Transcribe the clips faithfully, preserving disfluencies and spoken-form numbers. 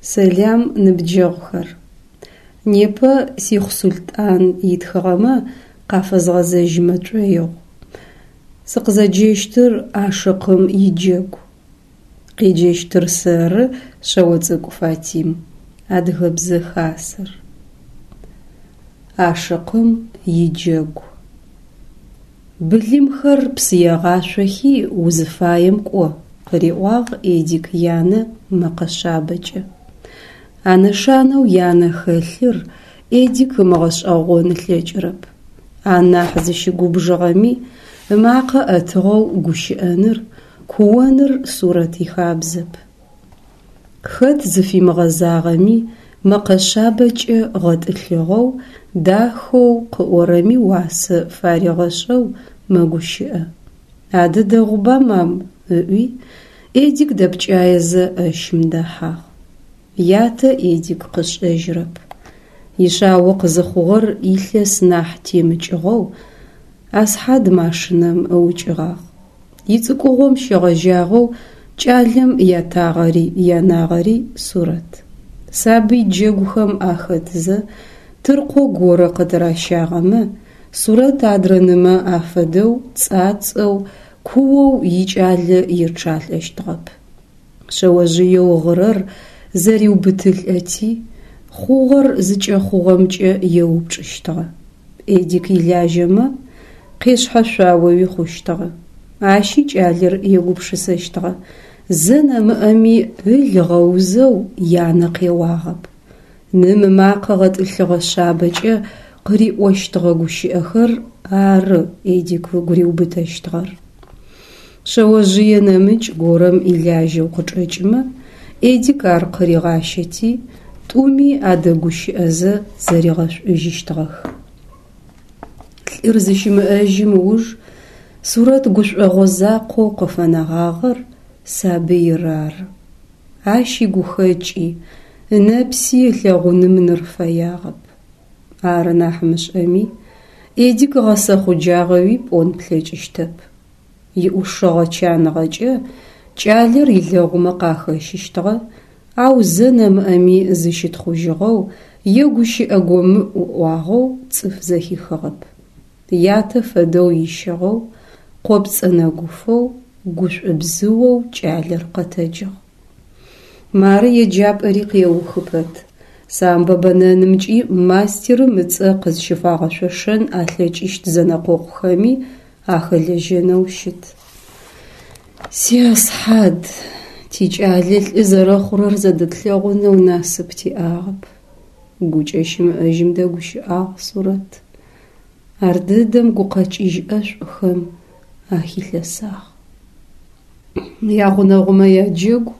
Сэлам, ныбджэгъухэр! Непэ Сихъу Султӏан итхыгъэмэ къафэзгъэзэжьымэ тшӏоигъу. Сыкъызэджэщтыр Ашыкъым иджэгу. Къеджэщтыр сэры, Шъэоцӏыкӏу Фатим. Адыгэбзэ хасэр. Ашыкъым иджэгу. Былымхэр псы егъашъохи узыфаем кӏо, къыриӏуагъ Эдик янэ мэкъэ шъабэкӏэ. А нэшанэу янэ хэлъыр Эдик ымыгъэшӏэгъон ылъэкӏырэп. Анахь зыщыгубжыгъэми ымакъэ ӏэтыгъэу гущыӏэныр, куоныр Сурэт ихабзэп. Хэт зыфимыгъэзагъэми мэкъэ шъабэкӏэ гъэтӏылъыгъэу, дахэу, къыӏорэми уасэ фаригъэшӏэу мэгущыӏэ. Адэ дэгъуба, мам, ыӏуи, Эдик дэпкӏаезэ ӏэщым дэхьагъ. Ятэ Эдик къышӏэжьырэп. Ишъао къызыхъугъэр илъэс нахь темыкӏыгъэу Асхьад машинэм ыукӏыгъагъ. Ицӏыкӏугъом щегъэжьагъэу кӏалэм ятагъэри янагъэри Сурэт. Сабый джэгухэм ахэтзэ тыркъо горэ къытыращагъэмэ, Сурэт адрэ нымэ афэдэу цӏацӏэу, куоу икӏалэ ечъалӏэщтыгъэп. Шъэожъыеу гъырэр зэриубытылӏэти, хъугъэр зыкӏэхъугъэмкӏэ еупчӏыщтыгъэ. Эдик илажьэмэ, къешъхьэшъуаоуи хъущтыгъэ. Ащи кӏалэр егупшысэщтыгъэ: зэ нэмыӏэми ыл ыгъэузэу янэ къеуагъэп. Ным ымакъэ гъэтӏылъыгъэ шъабэкӏэ къыриӏощтыгъэ гущыӏэхэр ары Эдик ыгу риубытэщтыгъэр. Шъэожъые нэмыкӏ горэм илажьэу къычӏэкӏымэ, Эдик ар къыригъащэти, тӏуми адэгущыӏэзэ зэригъэшӏужьыщтыгъэх. Лӏыр зыщымыӏэжьым ыуж Сурэт гушӏогъо закъоу къыфэнэгъагъэр сабыир ары. Ащ игухэкӏи, ынэпси ылъэгъуным ныр фэягъэп. Ары нахь мышӏэми, Эдик гъэсэхъуджагъэуи пӏон плъэкӏыщтэп. Иӏушыгъэ чаныгъэкӏэ кӏалэр илэгъумэ къахэщыщтыгъэ, ау зэ нэмыӏэми зыщытхъужьыгъэу е гущыӏэ гомыӏу ыӏуагъэу цӏыф зэхихыгъэп. Ятэ фэдэу ищыгъэу, къопцӏэ нэгуфэу, гушӏубзыоу кӏалэр къэтэджыгъ. Мары еджапӏэри къеухы пэт. Самбо бэнэнымкӏи мастерым ыцӏэ къызщыфагъэшъошэн алъэкӏыщт зэнэкъокъухэми ахэлэжьэнэу щыт. Си Асхьад, тикӏалэ лӏы зэрэхъурэр зэдэтлъэгъунэу насып тиӏагъэп. Гукӏэ щымыӏэжьым дэгущыӏагъ Сурэт. Ардэдэм гукъэкӏыжь ӏэшӏухэм ахилъэсагъ. Ягъунэгъумэ яджэгу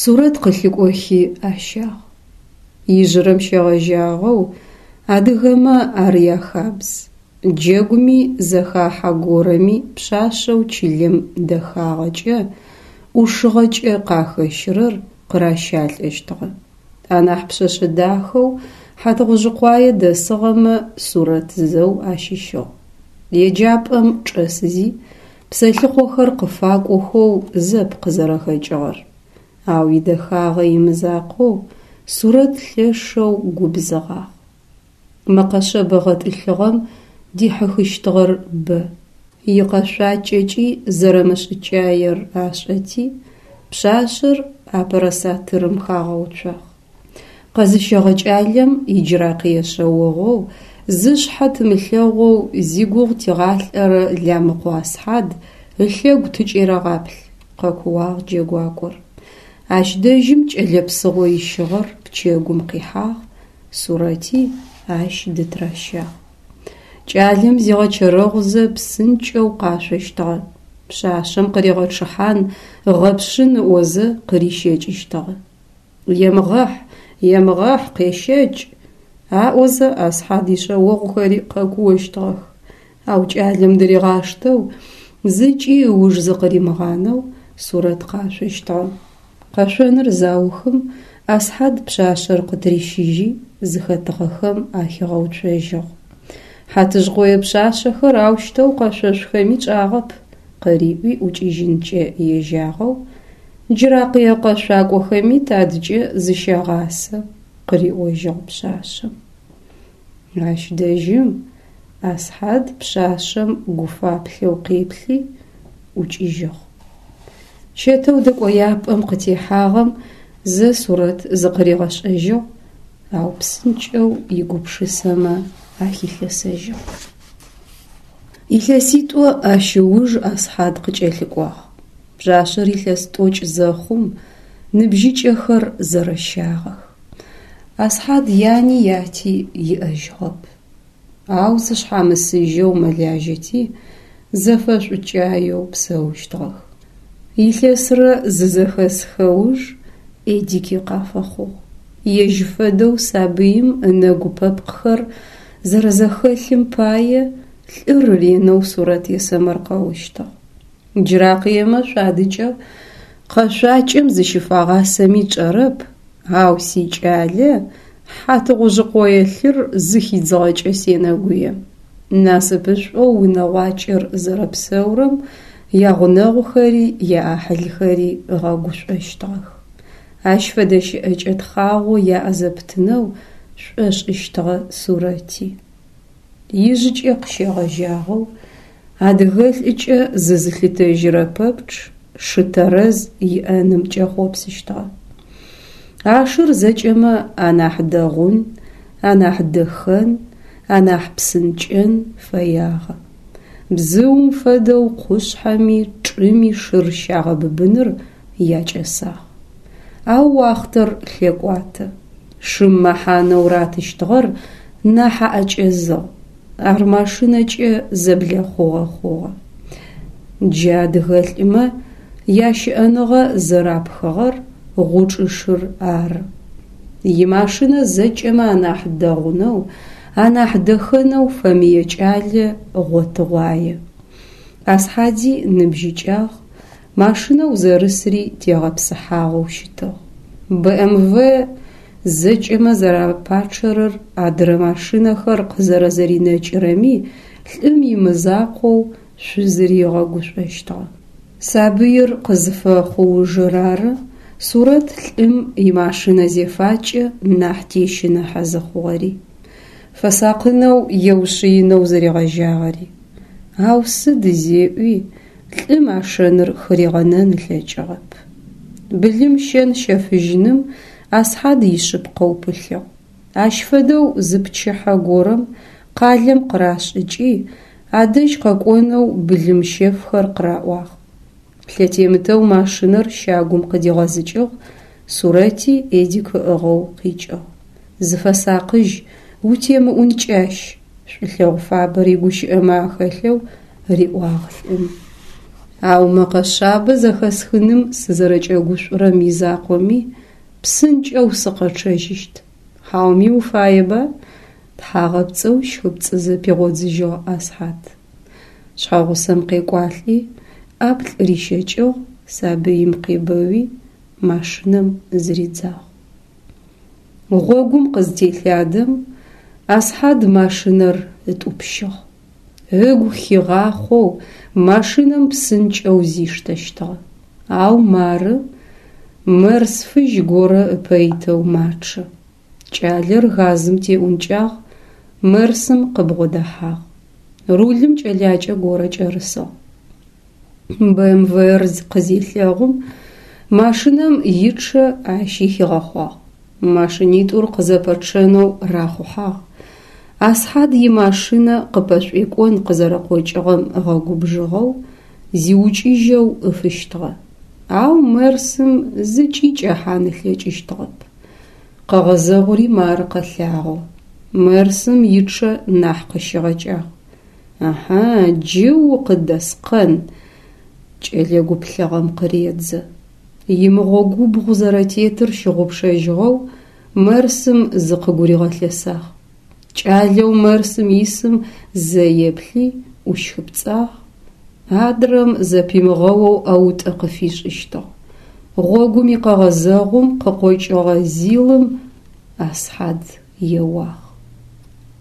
Сурэт къылъыкӏохи ащагъ. Ижъырэм щегъэжьагъэу адыгэмэ ар яхабз. Джэгуми зэхахьэ горэми пшъашъэу чылэм дэхагъэкӏэ, ӏушыгъэкӏэ къахэщырэр къыращалӏэщтыгъэ. Анахь пшъэшъэ дахэу Хьатыгъужъыкъуае дэсыгъэмэ Сурэт зэу ащыщыгъ. Еджапӏэм чӏэсызи псэлъыхъохэр къыфакӏохэу зэп къызэрэхэкӏыгъэр. Ау идэхагъэ имызакъоу Сурэт лъэшэу губзыгъагъ. Мэкъэ шъэбэ гъэтӏылъыгъэм дихьыхыщтыгъэр бэ. Икъэшъуакӏэкӏи зэрэмышӏыкӏаер ашӏэти, пшъашъэр апэрэ сатырым хагъэуцуагъ. Къэзыщэгъэ кӏалэм иджыракъые шъэогъоу, зышъхьэ тымылъэгъоу зигугъу тигъалӏэрэ Ламыкъо Асхьад ылъэгу тыкӏерэгъаплъ, къэкууагъ джэгуакӏор. Ащ дэжьым кӏэлэ псыгъо ищыгъэр пчэгум къихьагъ, Сурэти ащ дытыращагъ. Кӏалэм зигъэчэрэгъузэ псынкӏэу къашъощтыгъэ. Пшъашъэм къыригъэчъыхьан ыгъэпшъын ыӏозэ къырищэкӏыщтыгъэ. Емыгъэхь, емыгъэхь, къещэкӏ! Аӏозэ Асхьад ишъэогъухэри къэкуощтыгъэх. Ау кӏалэм дыригъаштэу, зыкӏи ыуж зыкъыримыгъанэу Сурэт къашъощтыгъэ. Къэшъоныр заухым Асхьад пшъашъэр къытырищыжьи, зыхэтыгъэхэм ахигъэуцожьыгъ. Хьатыжъкъое пшъашъэхэр аущтэу къэшъошъухэми тшӏагъэп, къыриӏуи ӏукӏыжьынкӏэ ежьагъэу, Джыракъые къэшъуакӏохэми тадыкӏэ зыщагъасэ, къыриӏожьыгъ пшъашъэм. Ащ дэжьым Асхьад пшъашъэм гуфаплъэу къеплъи, ӏукӏыжьыгъ. Чэтэу дэкӏояпӏэм къытехьагъэм зэ Сурэт зыкъыригъэшӏэжьыгъ, ау псынкӏэу игупшысэмэ ахилъэсэжьыгъ. Илъэситӏо ащ ыуж Асхьад къыкӏэлъыкӏуагъ. Пшъашъэр илъэс тӏокӏ зэхъум ныбжьыкӏэхэр зэрэщагъэх. Асхьад яни яти иӏэжьыгъэп. Ау зышъхьамысыжьэу мэлажьэти, зэфэшӏукӏаеу псэущтыгъэх. Илъэсрэ зызэхэсхэ уж Эдики къафэхъугъ. Ежь фэдэу сабыим ынэгу-пэпкъхэр зэрэзэхэлъым пае лӏыр ренэу Сурэт есэмэркъэущтыгъ. Джыракъыемэ шъуадыкӏэ къэшъуакӏэм зыщыфагъасэми чӏэрэп, ау сикӏалэ хьатыгъужъыкъое лъыр зыхидзыгъэкӏэ сенэгуе. Насыпышӏоу унэгъуакӏэр зэрэпсэурэм ягъунэгъухэри яӏахьылхэри ыгъэгушӏощтыгъэх. Ащ фэдэ щыӏэкӏэ тхъагъо яӏэ зэпытынэу шӏошӏыщтыгъэ Сурэти. Ижъыкӏэ къыщегъэжьагъэу адыгэлӏыкӏэ зызылъытэжьырэ пэпчъ шы тэрэз иӏэным кӏэхъопсыщтыгъэ. А шыр зэкӏэмэ анахь дэгъун, анахь дэхэн, анахь псынкӏэн фэягъэ. Бзыум фэдэу къушъхьэми чӏыми шыр щагъэбыбыныр якӏэсагъ. Ау уахътэр лъэкӏуатэ. Шым мэхьанэу ратыщтыгъэр нахь аӏэкӏэзыгъ. Ар машинэкӏэ зэблэхъугъэ хъугъэ. Джы адыгэлӏымэ ящыӏэныгъэ зэрапхыгъэр гъучӏышыр ары. Имашинэ зэкӏэмэ анахь дэгъунэу, анахь дэхэнэу фэмые кӏалэ гъотыгъуае. Асхьади ныбжьыкӏагъ, машинэу зэрысри тегъэпсыхьагъэу щытыгъ. БМВ зэкӏэмэ зэрапачъэрэр адырэ машинэхэр къызэрэзэринэкӏырэми лӏым имызакъоу шъузыри ыгъэгушӏощтыгъэ. Сабыир къызыфэхъу ужыр ары Сурэт лӏым имашинэ зефакӏэ нахь тещыныхьэ зыхъугъэри, фэсакъынэу еушъыинэу зыригъэжьагъэри. Ау сыд зеӏуи лӏым а шэныр хыригъэнэн ылъэкӏыгъэп. Былым щэн-щэфыжьыным Асхьад ишъыпкъэу пылъыгъ. Ащ фэдэу зы пчыхьэ горэм къалэм къырашӏыкӏи, адэжь къэкӏонэу былымщэфхэр къыраӏуагъ. Лъэтемытэу машинэр щагум къыдигъэзыкӏыгъ, Сурэти Эдик ыӏыгъэу къикӏыгъ. Зыфэсакъыжь, утемыӏункӏащ, шӏулъэгъу фабэр игущыӏэмэ ахэлъэу риӏуагъ лӏым. Ау мэкъэ шъабэ зэхэсхыным сызэрэкӏэгушӏурэм изакъоми, псынкӏэу сыкъэчъэжьыщт. Хьауми уфаеба? Тхьагъэпцӏэу щхыпцӏызэ пигъодзыжьыгъ Асхьад. Шъхьэгъусэм къекӏуалӏи, ӏаплӏ рищэкӏыгъ, сабыим къебэуи, машинэм зыридзагъ. Гъогум къызтелъадэм, Асхьад машинэр ытӏупщыгъ. Ыгу хигъахъоу машинэм псынкӏэу зиштэщтыгъэ. Ау мары мерс фыжь горэ ыпэ итэу мачъэ. Кӏалэр газым теӏункӏагъ, мерсым къыбгъодэхьагъ. Рулым кӏэлакӏэ горэ кӏэрысыгъ. БМВ-р къызелъэгъум, машинэм ичъэ ащи хигъэхъуагъ. Машинитӏур къызэпэчъэнэу рахъухьагъ. Асхьад имашинэ къыпэшӏуекӏон къызэрэкъокӏыгъэм ыгъэгубжыгъэу, зиукӏыжьэу ыфыщтыгъэ. Ау мерсым зыкӏи кӏэхьан ылъэкӏыщтыгъэп. Къэгъэзэгъури мары къэлъагъо. Мерсым ичъэ нахь къыщигъэкӏагъ. Аха, джы укъыдэскъэн, кӏэлэ гуплъыгъэм къыредзэ. Имыгъогубгъу зэрэтетыр щыгъупшэжьыгъэу мерсым зыкъыгуригъэлъэсагъ. Кӏалэу мерсым исым зэ еплъи ӏущхыпцӏагъ. Адрэм зэпимыгъэоу ӏэутӏэ къыфишӏыщтыгъ. Гъогум икъэгъэзэгъум къыкъокӏыгъэ зилым Асхьад еуагъ.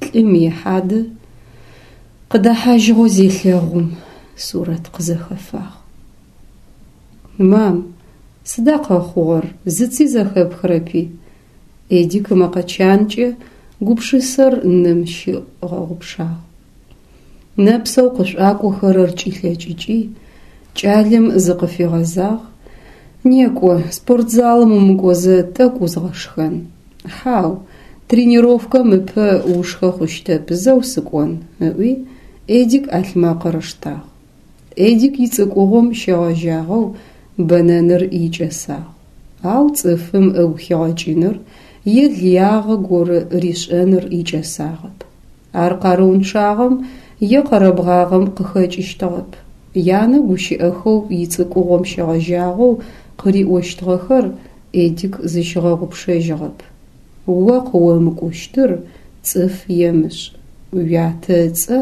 Лӏым ихьадэ къыдэхьажьыгъэу зелъэгъум, Сурэт къызэхэфагъ. Мам, Сыда къэхъугъэр, зыци зэхэпхырэпи? Эдик ымэкъэ чанкӏэ гупшысэр ным щигъэгъупшагъ. Нэпсэу къышӏуакӏохэрэр кӏилъэкӏыкӏи, кӏалэм зыкъыфигъэзагъ: «Некӏо, спортзалым умыкӏозэ тӏэкӏу узгъэшхэн». «Хьау, тренировкэм ыпэ ушхэ хъущтэп, зэу сыкӏон», ыӏуи Эдик ӏалъмэкъыр ыштагъ. Эдик ицӏыкӏугъом щегъэжьагъэу бэнэныр икӏэсагъ. Ау цӏыфым ыгу хигъэкӏыныр е лыягъэ горэ ришӏэныр икӏэсагъэп. Ар къарыунчъагъэм е къэрэбгъагъэм къыхэкӏыщтыгъэп. Янэ гущыӏэхэу ицӏыкӏугъом щегъэжьагъэу къыриӏощтыгъэхэр Эдик зыщигъэгъупшэжьыгъэп. О къыомыкӏущтыр цӏыф емышӏ, уятэ ыцӏэ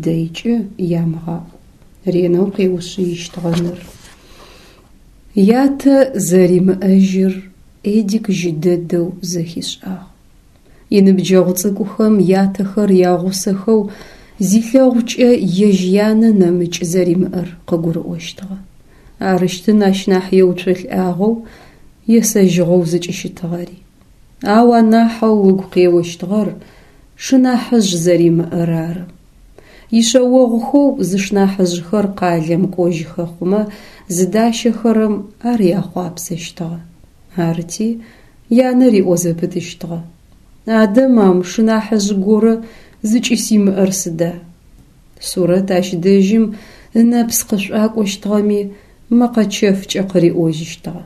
дэйкӏэ ямыгъаӏу. Ренэу къеушъыищтыгъэ ныр. Ятэ зэримыӏэжьыр Эдик жьы дэдэу зэхишӏагъ. Иныбджэгъу цӏыкӏухэм ятэхэр ягъусэхэу зилъэгъукӏэ ежь янэ нэмыкӏ зэримыӏэр къыгурыӏощтыгъэ. Арыщтын ащ нахь еуцолӏагъэу, есэжьыгъэу зыкӏыщытыгъэри. Ау анахьэу ыгу къеощтыгъэр шынахьыжъ зэримыӏэр ары. Ишъэогъухэу зышнахьыжъхэр къалэм кӏожьхэ хъумэ зыдащэхэрэм ар яхъуапсэщтыгъэ. Арыти, янэ риӏо зэпытыщтыгъэ: «Адэ, мам, шынахьыжъ горэ зыкӏысимыӏэр сыда?» Сурэт ащ дэжьым ынэпс къышӏуакӏощтыгъэми, мэкъэ чэфкӏэ къыриӏожьыщтыгъэ: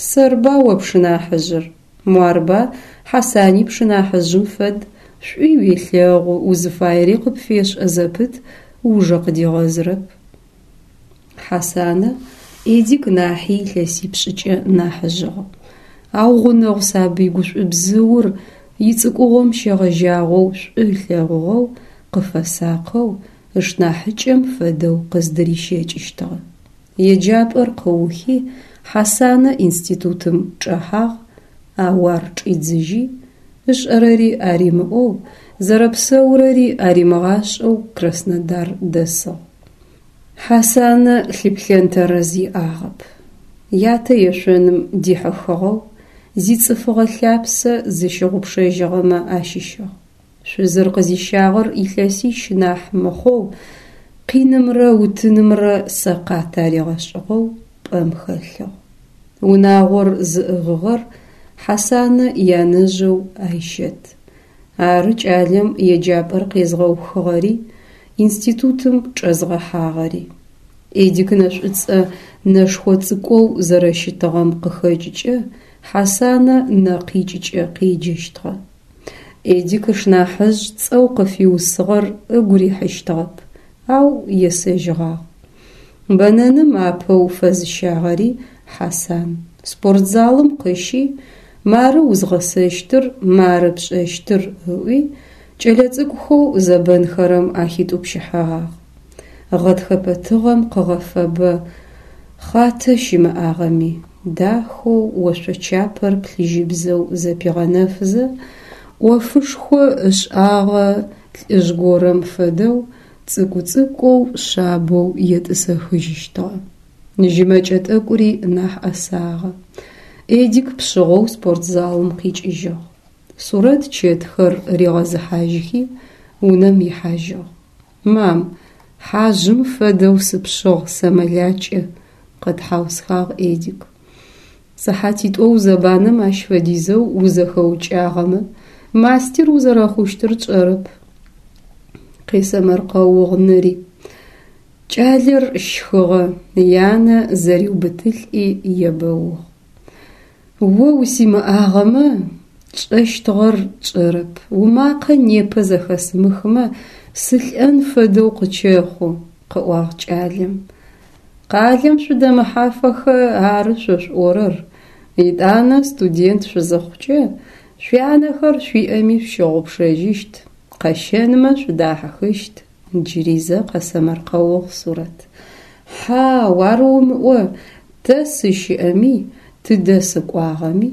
«Сэрба о пшынахьыжъыр? Муарба Хьасани пшынахьыжъым фэд, шӏуи уелъэгъу, узыфаери къыпфешӏэ зэпыт, ужэ къыдигъэзырэп». Хьасанэ Эдик нахьи илъэсипшӏыкӏэ нахьыжъыгъ. Ау гъунэгъу сабый гушӏубзыур ицӏыкӏугъом щегъэжьагъэу шӏу ылъэгъугъэу, къыфэсакъэу, ышнахьыкӏэм фэдэу къыздырищэкӏыщтыгъэ. Еджапӏэр къыухи, Хьасанэ институтым чӏэхьагъ, ау ар чӏидзыжьи, ышӏэрэри аримыӏоу, зэрэпсэурэри аримыгъашӏэу Краснодар дэсыгъ. Хьасанэ лъыплъэн тэрэз иӏагъэп. Ятэ ешъоным дихьыхыгъэу, зицӏыфыгъэ лъапсэ зыщыгъупшэжьыгъэмэ ащыщыгъ. Шъузыр къызищагъэр илъэсищ нахь мыхъоу, къинымрэ утынымрэ сэкъат аригъэшӏыгъэу пӏэм хэлъыгъ. Унагъор зыӏыгъыгъэр Хьасанэ янэжъэу Айщэт. Ары кӏалэм еджапӏэр къезгъэухыгъэри, институтым чӏэзгъэхьагъэри. Эдик нэшӏуцӏэ нэшхо цӏыкӏоу зэрэщытыгъэм къыхэкӏыкӏэ Хьасанэ нэкъикӏыкӏэ къеджэщтыгъэ. Эдик ышнахьыжъ цӏэу къыфиусыгъэр ыгу рихьыщтыгъэп, ау есэжьыгъагъ. Бэнэным апэу фэзыщагъэри Хьасан. Спортзалым къыщи, мары узгъэсэщтыр, мары пшӏэщтыр ыӏуи, кӏэлэцӏыкӏухэу зэбэнхэрэм ахитӏупщыхьэгъагъ. Гъэтхэпэ тыгъэм къыгъэфэбэ хъатэ щымыӏагъэми, дахэу ошъочапэр плъыжьыбзэу зэпигъэнэфызэ, ӏофышхо ышӏагъэ лӏыжъ горэм фэдэу цӏыкӏу-цӏыкӏоу шъабэу етӏысэхыжьыщтыгъэ. Жьы мэкӏэ тӏэкӏури нахь ӏэсагъэ. Эдик пшъыгъэу спортзалым къикӏыжьыгъ. Сурэт чэтхэр ригъэзыхьажьхи, унэм ихьажьыгъ. «Мам, хьажъым фэдэу сыпшъыгъ, сэмэлакӏэ», къэтхьаусхагъ Эдик. Сыхьатитӏо узэбанэм ащ фэдизэу узэхэукӏагъэмэ, мастер узэрэхъущтыр тшӏэрэп. Къесэмэркъэугъ ныри. Кӏалэр щхыгъэ, янэ зэриубытылӏи ебэугъ. О усимыӏагъэмэ, тшӏэщтыгъэр тшӏэрэп, умакъэ непэ зэхэсымыхымэ, сылӏэн фэдэу къычэхъу, къыӏуагъ кӏалэм. Къалэм шъудэмыхьафэхэ ары шъо шъуӏорэр. Етӏанэ студент шъузыхъукӏэ, шъуянэхэр шъуиӏэми шъущыгъупшэжьыщт, къэщэнмэ шъудахьыхыщт, джыри зэ къэсэмэркъэугъ Сурэт. Хьау, ар умыӏо, тэ сыщыӏэми, тыдэ сыкӏуагъэми,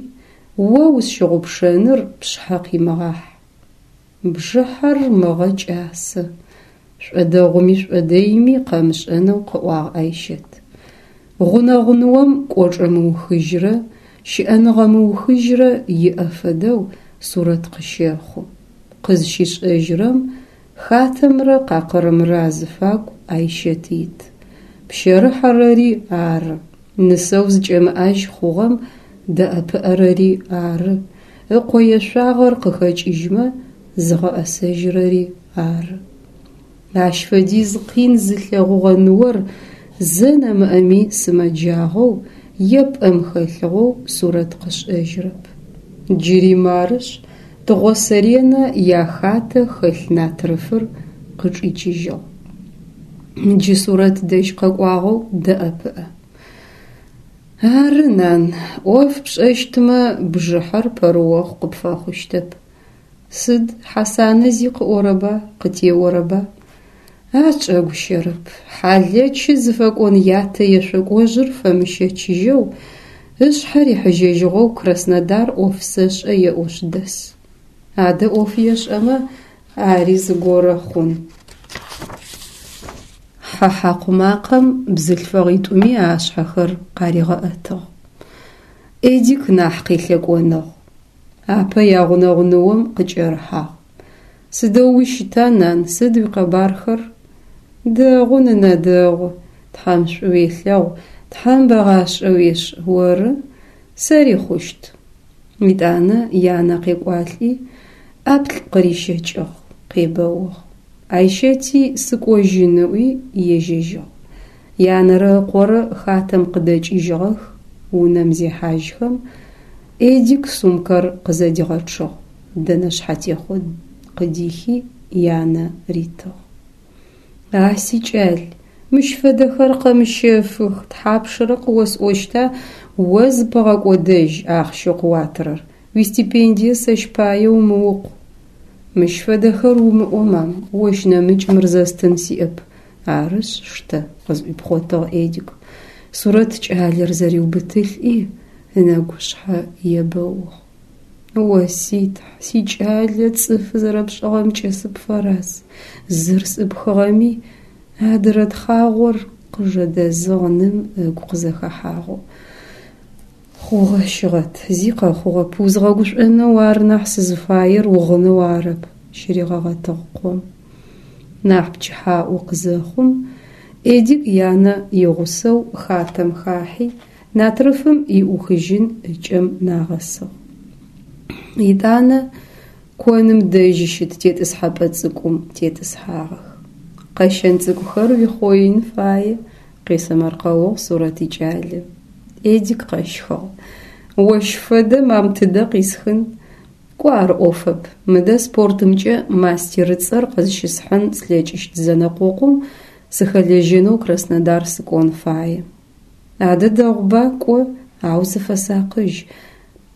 о усщыгъупшэныр пшъхьэ къимыгъахь. Бжыхьэр мыгъэ кӏасэ, шӏодэгъуми шӏодэйми къэмышӏэнэу къыӏуагъ Айщэт. Гъунэгъу ныом кӏочӏэ мыухыжьрэ, щыӏэныгъэ мыухыжьрэ иӏэ фэдэу Сурэт къыщэхъу. Къызщишӏэжьырэм хатэмрэ къакъырымрэ азыфагу Айщэт ит. Пщэрыхьэрэри ары, нысэу зыкӏэмыӏажь хъугъэм дэӏэпыӏэрэри ары, ыкъо ешъуагъэр къыхэкӏыжьмэ зыгъэӏэсэжьырэри ары. Ащ фэдиз къин зылъэгъугъэ ныор зэ нэмыӏэми сымэджагъэу е пӏэм хэлъыгъэу Сурэт къышӏэжьырэп. Джыри марышъ, тыгъосэренэ яхатэ хэлъ натрыфыр къычӏичыжьыгъ. Джы Сурэт дэжь къэкӏуагъэу дэӏэпыӏэ. Ары, нан, ӏоф пшӏэщтмэ, бжыхьэр пэрыохъу къыпфэхъущтэп. Сыд, Хьасанэ зи къыӏорэба, къытеорэба? А чӏэгущэрэп, хьалэчы зыфэкӏон ятэ ешъокӏожъыр фэмыщэчыжьэу, ышъхьэ рихьыжьэжьыгъэу Краснодар ӏоф сэшӏэ еӏошъ дэс. Адэ ӏоф ешӏэмэ, ари зыгорэ хъун. Хьэ хьакъу макъэм бзылъфыгъитӏуми ашъхьэхэр къаригъэӏэтыгъ. Эдик нахь къелъэкӏоныгъ. Апэ ягъунэгъу ныом къыкӏэрыхьагъ. Сыдэу ущыта, нан, сыд уикъэбархэр? Дэгъу, нынэ, дэгъу. Тхьэм шӏу уелъэгъу, Тхьэм бэгъашӏэ уешӏ, оры? Сэри хъущт. Етӏанэ янэ къекӏуалӏи, ӏаплӏ къырищэкӏыгъ, къебэугъ. Айщэти сыкӏожьын ыӏуи ежьэжьыгъ. Янэрэ ыкъорэ хатэм къыдэкӏыжьыгъэх, унэм зехьажьхэм, Эдик сумкэр къызэдигъэчъыгъ, дэнэ шъхьэтехъо къыдихи, янэ ритыгъ. А сикӏал, мыщ фэдэхэр къэмыщэфых, тхьапшрэ къыосӏощта о зыпыгъэкӏодэжь ахъщэу къыуатырэр, уистипендие сэщ пае умыукъу. Мыщ фэдэхэр умыӏо, мам, ощ нэмыкӏ мыр зэстын сиӏэп. Арышъ, штэ, къызӏуипхъотыгъ Эдик. Сурэт кӏалэр зэриубытылӏи, ынэгушъхьэ ебэугъ. О си Тхь, сикӏалэ цӏыфы зэрэпшӏыгъэмкӏэ сыпфэраз, зыр сӏыпхыгъэми, адырэ тхъагъор къыжэдэзыгъ ным ыгу къызэхэхьагъэу. Хъугъэ, щыгъэт, зи къэхъугъэп, узгъэгушӏонэу ары нахь сызыфаер угъынэу арэп, щыригъэгъэтыгъ къом. Нахь пчыхьаӏо къызэхъум, Эдик янэ игъусэу хатэм хахьи, натрыфым иӏухыжьын ыкӏэм нагъэсыгъ. Етӏанэ коным дэжь щыт тетӏысхьэпӏэ цӏыкӏум тетӏысхьагъэх. Къэщэн цӏыкӏухэр уихъоин фае, къесэмэркъэугъ Сурэт икӏалэ. Эдик къэщхыгъ. Ощ фэдэ, мам, тыдэ къисхын? Кӏо ар ӏофэп, мыдэ спортымкӏэ мастерыцӏэр къызщысхьын слъэкӏыщт зэнэкъокъум сыхэлэжьэнэу Краснодар сыкӏон фае. Адэ дэгъуба, кӏо, ау зыфэсакъыжь.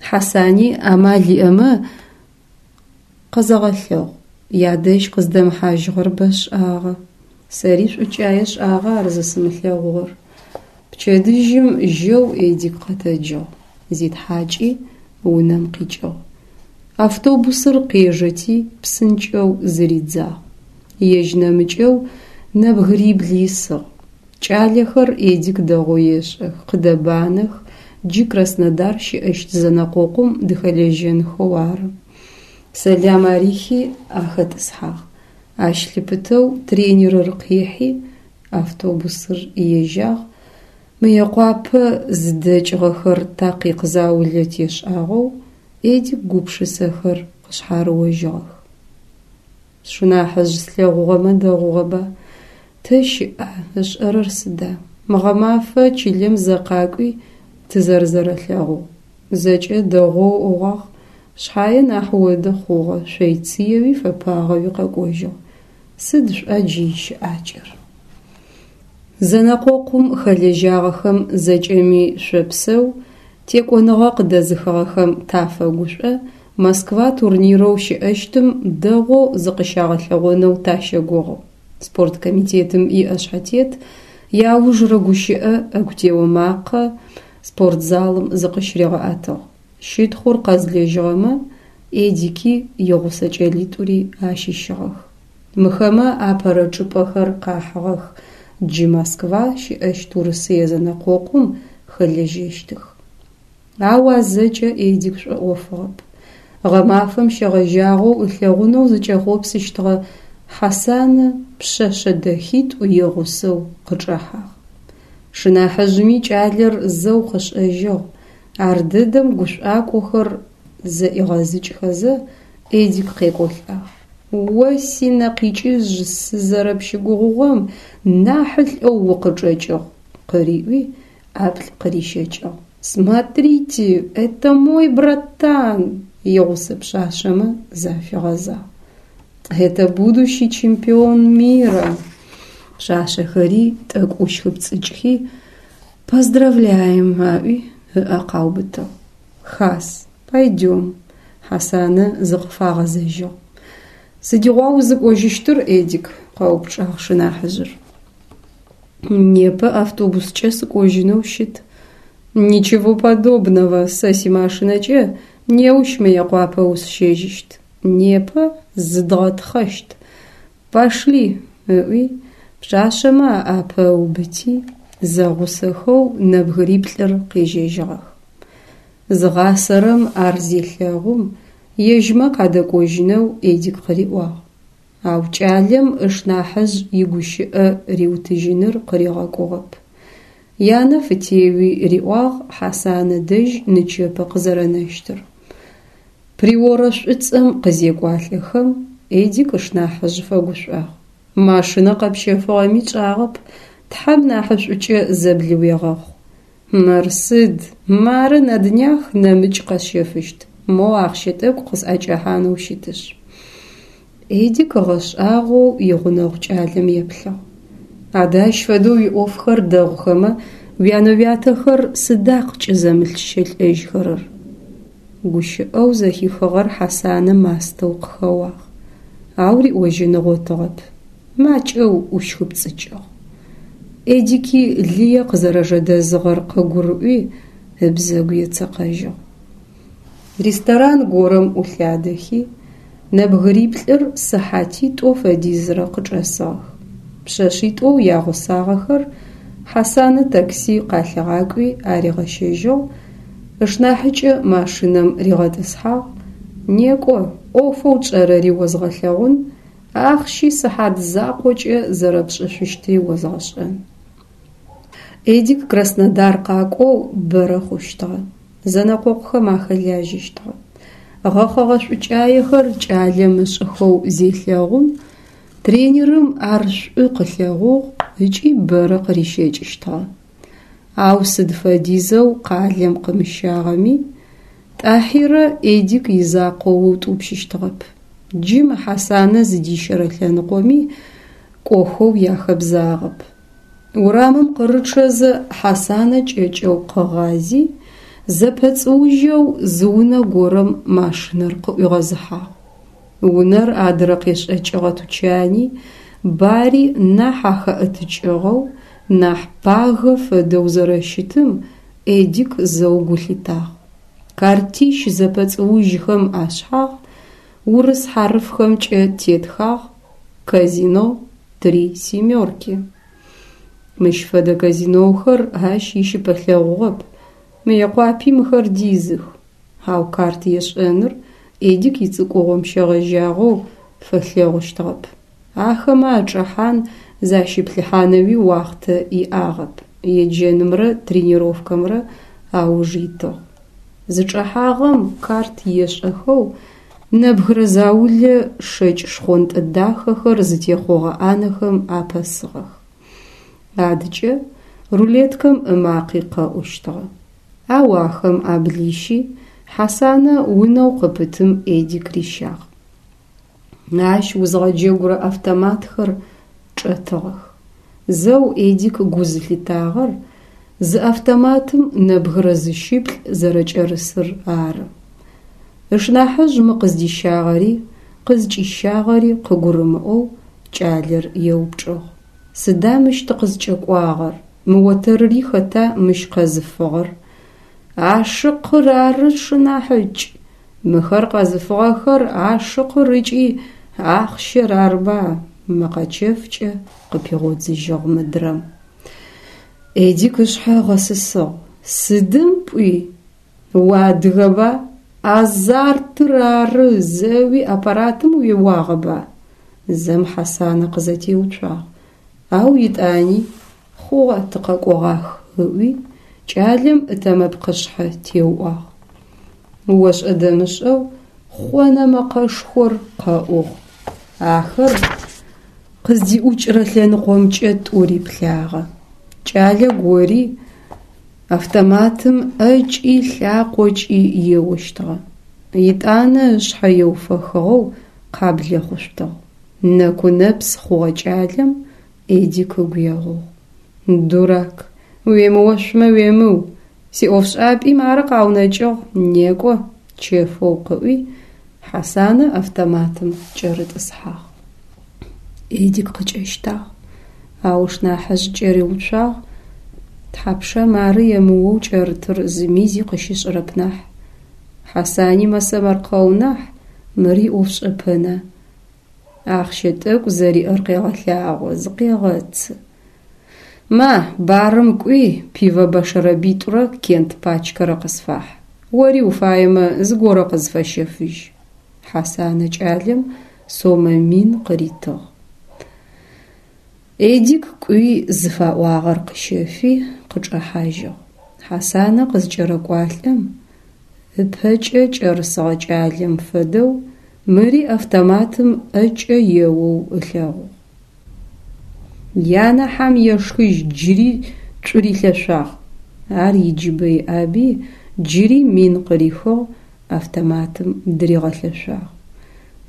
Хьасани амал иӏэмэ къэзэгъэлъэгъу. Ядэжь къыздэмыхьажьыгъэр бэшӏагъэ. Сэри шӏукӏае шӏагъэ ар зысымылъэгъугъэр. Пчэдыжьым жьэу Эдик къэтэджыгъ. Зитхьакӏи унэм къикӏыгъ. Автобусыр къежэти псынкӏэу зыридзагъ. Ежь нэмыкӏэу нэбгырибл исыгъ. Кӏалэхэр Эдик дэгъоу ешӏэх, къыдэбанэх, джы Краснодар щыӏэщт зэнэкъокъум дыхэлэжьэнхэу ары. Сэлам арихи ахэтӏысхьагъ. Ащ лъыпытэу тренерыр къихьи, автобусыр ежьагъ. Мыекъуапэ зыдэкӏыгъэхэр такъикъ заулэ тешӏагъэу Эдик гупшысэхэр къышъхьарыожьыгъэх. Сшынахьыжъ слъэгъугъэмэ дэгъугъэба? Тэ щыӏа, ышӏэрэр сыда? Мыгъэмафэ чылэм зэ къакӏуи тызэрэзэрэлъэгъугъ. Зэкӏэ дэгъоу ыӏуагъ, шъхьае нахь оды хъугъэ, шъойцыеуи фэпагъэуи къэкӏожьыгъ. Сыд шӏуа джы ищыӏакӏэр? Зэнэкъокъум хэлэжьагъэхэм зэкӏэми шъопсэу, текӏоныгъэ къыдэзыхыгъэхэм тафэгушӏо, Москва турнирэу щыӏэщтым дэгъоу зыкъыщагъэлъэгъонэу тащэгугъы. Спорткомитетым иӏэшъхьэтет иаужырэ гущыӏэ ӏэгу тео макъэ спортзалым зыкъыщыригъэӏэтыгъ. Щытхъур къэзлэжьыгъэмэ Эдики игъусэ кӏэлитӏури ащыщыгъэх. Мыхэмэ апэрэ чӏыпӏэхэр къахьыгъэх, джы Москва щыӏэщт Урысые зэнэкъокъум хэлэжьэщтых. Ау а зэкӏэ Эдик шӏоӏофыгъэп. Гъэмафэм щегъэжьагъэу ылъэгъунэу зыкӏэхъопсыщтыгъэ Хьасанэ пшъэшъэ дэхитӏу игъусэу къычӏэхьагъ. Шынахьыжъыми кӏалэр зэу къышӏэжьыгъ, ардэдэм гушӏуакӏохэр зэӏигъэзыкӏхэзэ Эдик къекӏолӏагъ. О синэкъикӏыжь сызэрэпщыгугъыгъэм нахьылӏэу укъычӏэкӏыгъ, къыриӏуи, ӏаплӏ къырищэкӏыгъ. Смотрите, это мой братан! Игъусэ пшъашъэмэ зафигъэзагъ. Это будущий чемпион мира! Пшъашъэхэри тӏэкӏу ӏущхыпцӏыкӏхи, поздравляем аӏуи ыӏэ къаубытыгъ. Хас, пойдем, Хьасанэ зыкъыфагъэзэжьыгъ. Сыдигъуа узыкӏожьыщтыр, Эдик? Къэупчӏагъ шынахьыжъыр. Непэ автобускӏэ сыкӏожьынэу щыт. Ничего подобного, сэ симашинэкӏэ неущ Мыекъуапэ усщэжьыщт. Непэ зыдгъэтхъэщт. Пошли, ыӏуи, пшъашъэмэ аӏапэ ыубыти, зэгъусэхэу нэбгыриплӏыр къежьэжьыгъэх. Зыгъасэрэм ар зелъэгъум, ежьмэ къадэкӏожьынэу Эдик къыриӏуагъ. Ау кӏалэм ышнахьыжъ игущыӏэ риутыжьыныр къыригъэкӏугъэп. Янэ фытеуи риӏуагъ Хьасанэ дэжь нычэпэ къызэрэнэщтыр. Приорэ шӏуцӏэм къызекӏуалӏэхэм, Эдик ышнахьыжъ фэгушӏуагъ. Машинэ къэпщэфыгъэми тшӏагъэп, Тхьэм нахьышӏукӏэ зэблыуегъэхъу. Мыр сыд, мары на днях нэмыкӏ къэсщэфыщт, моу ахъщэ тӏэкӏу къысӏэкӏэхьанэу щытышъ. Эдик ыгъэшӏагъоу игъунэгъу кӏалэм еплъыгъ. Адэ ащ фэдэу уиӏофхэр дэгъухэмэ, уянэ-уятэхэр сыда къыкӏызэмылъщэлӏэжьхэрэр? Гущыӏэу зэхихыгъэр Хьасанэ мастэу къыхэуагъ. Ау риӏожьын ыгъотыгъэп. Макӏэу ӏущхыпцӏыкӏыгъ. Эдики лые къызэрэжэдэзыгъэр къыгурыӏуи, ыбзэгу ецэкъэжьыгъ. Ресторан горэм ӏулъадэхи, нэбгыриплӏыр сыхьатитӏо фэдизрэ къычӏэсыгъэх. Пшъэшъитӏоу ягъусагъэхэр Хьасанэ такси къалъигъакӏуи аригъэщэжьыгъ, ышнахьыкӏэ машинэм ригъэтӏысхьагъ. Некӏо, ӏофэу тшӏэрэри озгъэлъэгъун, ахъщи сыхьат закъокӏэ зэрэпшӏышъущтри озгъэшӏэн. Эдик Краснодар къакӏоу бэрэ хъущтыгъэ. Зэнэкъокъухэм ахэлажьэщтыгъэ. Гъэхъэгъэ шӏукӏаехэр кӏалэм ышӏыхэу зелъэгъум, тренерым ар шӏу къылъэгъугъ ыкӏи бэрэ къырищэкӏыщтыгъэ. Ау сыд фэдизэу къалэм къымыщагъэми, Тӏахьирэ Эдик изакъоу ыутӏупщыщтыгъэп. Джы мы Хьасанэ зыдищэрэ лъэныкъоми кӏохэу яхэбзагъэп. Урамым къырычъэзэ Хьасанэ кӏэкӏэу къыгъази, зэпэцӏыужьэу зы унэ горэм машинэр къыӏуигъэзыхьагъ. Унэр адырэ къешӏэкӏыгъэ тучани, бари нахь ахэӏэтыкӏыгъэу, нахь пагэ фэдэу зэрэщытым Эдик зэу гу лъитагъ. Картищ зэпэцӏыужьхэм ашъхьагъ урыс хьарыфхэмкӏэ тетхагъ «Казино три семерки». Мыщ фэдэ казиноухэр ащ ищыпэлъэгъугъэп, Мыекъуапи мыхэр дизых. Ау карт ешӏэныр Эдик ицӏыкӏугъом щегъэжьагъэу фэлъэгъущтыгъэп. Ахэмэ ачӏэхьан защиплъыхьанэуи уахътэ иӏагъэп, еджэнымрэ тренировкэмрэ ауж итыгъ. Зычӏэхьагъэм карт ешӏэхэу нэбгырэ заулэ шэкӏ шхъонтӏэ дахэхэр зытехъогъэ ӏанэхэм апэсыгъэх. Адыкӏэ рулеткэм ымакъи къэӏущтыгъэ. Ау ахэм аблищи, Хьасанэ унэу къыпытым Эдик рищагъ. Ащ узгъэджэгурэ автоматхэр чӏэтыгъэх. Зэу Эдик гу зылъитагъэр зы автоматым нэбгырэ зыщыплӏ зэрэкӏэрысыр ары. Ышнахьыжъ мы къыздищагъэри къызкӏищагъэри къыгурымыӏоу кӏалэр еупчӏыгъ. Сыда мыщ тыкъызкӏэкӏуагъэр? Мы отэрри хэта мыщ къэзыфыгъэр? Ашыкъыр ары, шынахьыкӏ. Мыхэр къэзыфыгъэхэр ашыкъыр ыкӏи ахъщэр арба? Мэкъэ чэфкӏэ къыпигъодзыжьыгъ мыдрэм. Эдик ышъхьэ ыгъэсысыгъ. Сыдым пӏуи? Уадыгэба? Азартыр ары, зэуи аппаратым уеуагъэба? Зэм Хьасанэ къызэтеуцуагъ. Ау етӏани хъугъэ, тыкъэкӏогъах ыӏуи, кӏалэм ытэмэпкъышъхьэ теуӏуагъ. Ошӏэ-дэмышӏэу хъонэ мэкъэшхор къэӏугъ. Ахэр къыздиӏукӏырэ лъэныкъомкӏэ тӏури плъагъэ. Кӏалэ гори автоматым ӏэкӏи лъакъокӏи еощтыгъэ. Етӏанэ ышъхьэ еуфэхыгъэу къаблэхъушъутыгъ. Нэку-нэпс хъугъэ кӏалэм Эдик ыгу егъугъ. Дурак, уемыошъумэ уемыу, сиӏофшӏапӏи мары къаунэкӏыгъ, некӏо, чэфэу къыӏуи, Хьасанэ автоматым кӏэрытӏысхьагъ. Эдик къыкӏэщтагъ, ау ышнахьыжъ кӏэриуцуагъ. Тхьапша мары емыоу кӏэрытыр зыми зи къыщышӏырэп нахь. Хьасани мэсэмэркъэу нахь, мыр иӏофшӏэпэна. Ахъщэ тӏэкӏу зэриӏэр къегъэлъагъо, зыкъегъэцы. Ма, барым кӏуи, пиво бэшэрэбитӏурэ кент пачкэрэ къысфахь. Ори уфаемэ, зыгорэ къызфэщэфыжь. Хьасанэ кӏалэм сомэ мин къыритыгъ. Эдик кӏуи зыфаӏуагъэр къыщэфи, къычӏэхьажьыгъ. Хьасанэ къызкӏэрэкӏуалӏэм, ыпэкӏэ кӏэрысыгъэ кӏалэм фэдэу мыри автоматым ӏэкӏэ еоу ылъэгъугъ. Янэ хьам ешхыжь джыри цурилъэшъуагъ. Ар иджыбэ иӏаби джыри мин къырихыгъ, автоматым дыригъэлъэшъуагъ.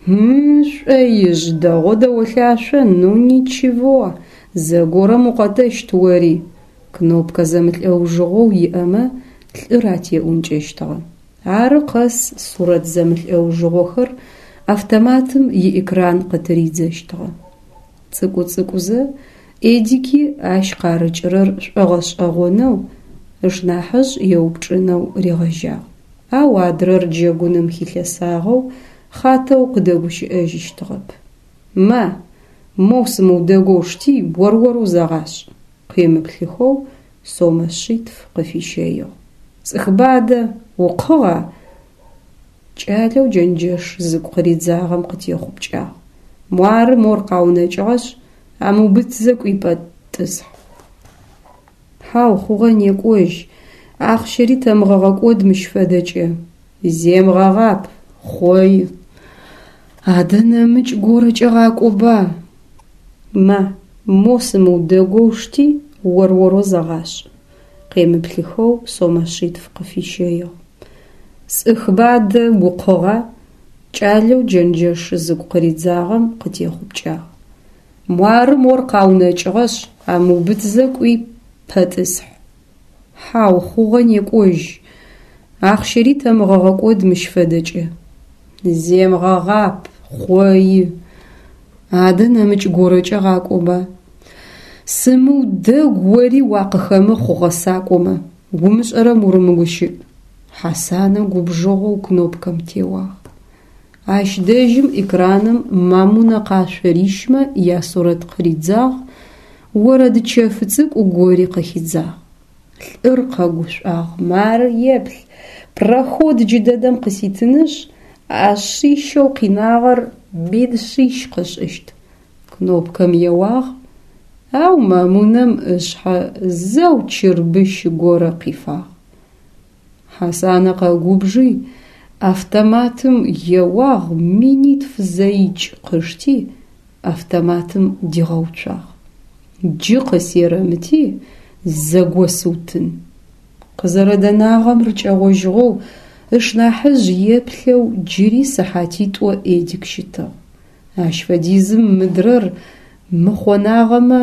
М-м, шӏоижъ, дэгъоу дэолъашъо, ну ничего, зэгорэм укъэтэщт ори. Кнопкэ зэмылӏэужыгъоу иӏэмэ лӏыр атеӏункӏэщтыгъэ. Ары къэс сурэт зэмылӏэужыгъохэр автоматым иэкран къытыридзэщтыгъэ. Цӏыкӏу-цӏыкӏузэ Эдики ащ къарыкӏырэр шӏогъэшӏэгъонэу, ышнахьыжъ еупчӏынэу ригъэжьагъ. Ау адрэр джэгуным хилъэсагъэу хъатэу къыдэгущыӏэжьыщтыгъэп. Ма, моу сымыудэгоу шти, ор-орэу зэгъашӏ. Къемыплъыхэу сомэ шъитф къыфищэигъ. Сӏыхба адэ, укъыгъа? Кӏалэу джэнджэш зыгу къыридзагъэм къытехъупкӏагъ. Муары мор къаунэкӏыгъэшъ, амыубытзэ кӏуи пэтӏысхь. Хьау, хъугъэ, некӏожь, ахъщэри тэмыгъэгъэкӏод мыщ фэдэкӏэ. Земыгъэгъап, хъои. Адэ нэмыкӏ горэкӏэ гъакӏоба. Ма, мо сымыудэгоу шти, ор-орэу зэгъашӏ. Къемыплъыхэу сомэ шъитф къыфищэигъ. Сӏыхба адэ, укъыгъа? Кӏалэу джэнджэш зыгу къыридзагъэм къытехъупкӏагъ. Муары мор къаунэкӏыгъэшъ, амыубытзэ кӏуи пэтӏысхь. Хьау, хъугъэ, некӏожь, ахъщэри тэмыгъэгъэкӏод мыщ фэдэкӏэ. Земыгъэгъап, хъои. Адэ нэмыкӏ горэкӏэ гъакӏоба. Сымыудэгу ори уакъыхэмыхъу гъэсакӏомэ, умышӏэрэм урымыгущыӏ. Хьасанэ губжыгъэу кнопкэм теуагъ. Ащ дэжьым экраным мамунэ къашъо рищмэ ясурэт къыридзагъ, орэд чэф цӏыкӏу гори къыхидзагъ. Лӏыр къэгушӏуагъ, мары еплъ, проход джыдэдэм къыситынышъ, а шъищэу къинагъэр мин шъищ къышӏыщт. Кнопкэм еуагъ, ау мамунэм ышъхьэ зэу чырбыщ горэ къифагъ. Хьасанэ къэгубжи, автоматым еуагъ, минитф зэикӏ къышти, автоматым дигъэуцуагъ. Джы къысерэмыти, зэгосыутын. Къызэрэдэнагъэм рыкӏэгъожьыгъэу ышнахьыжъ еплъэу джыри сыхьатитӏо Эдик щытыгъ. Ащ фэдизым мыдрэр мыхъонагъэмэ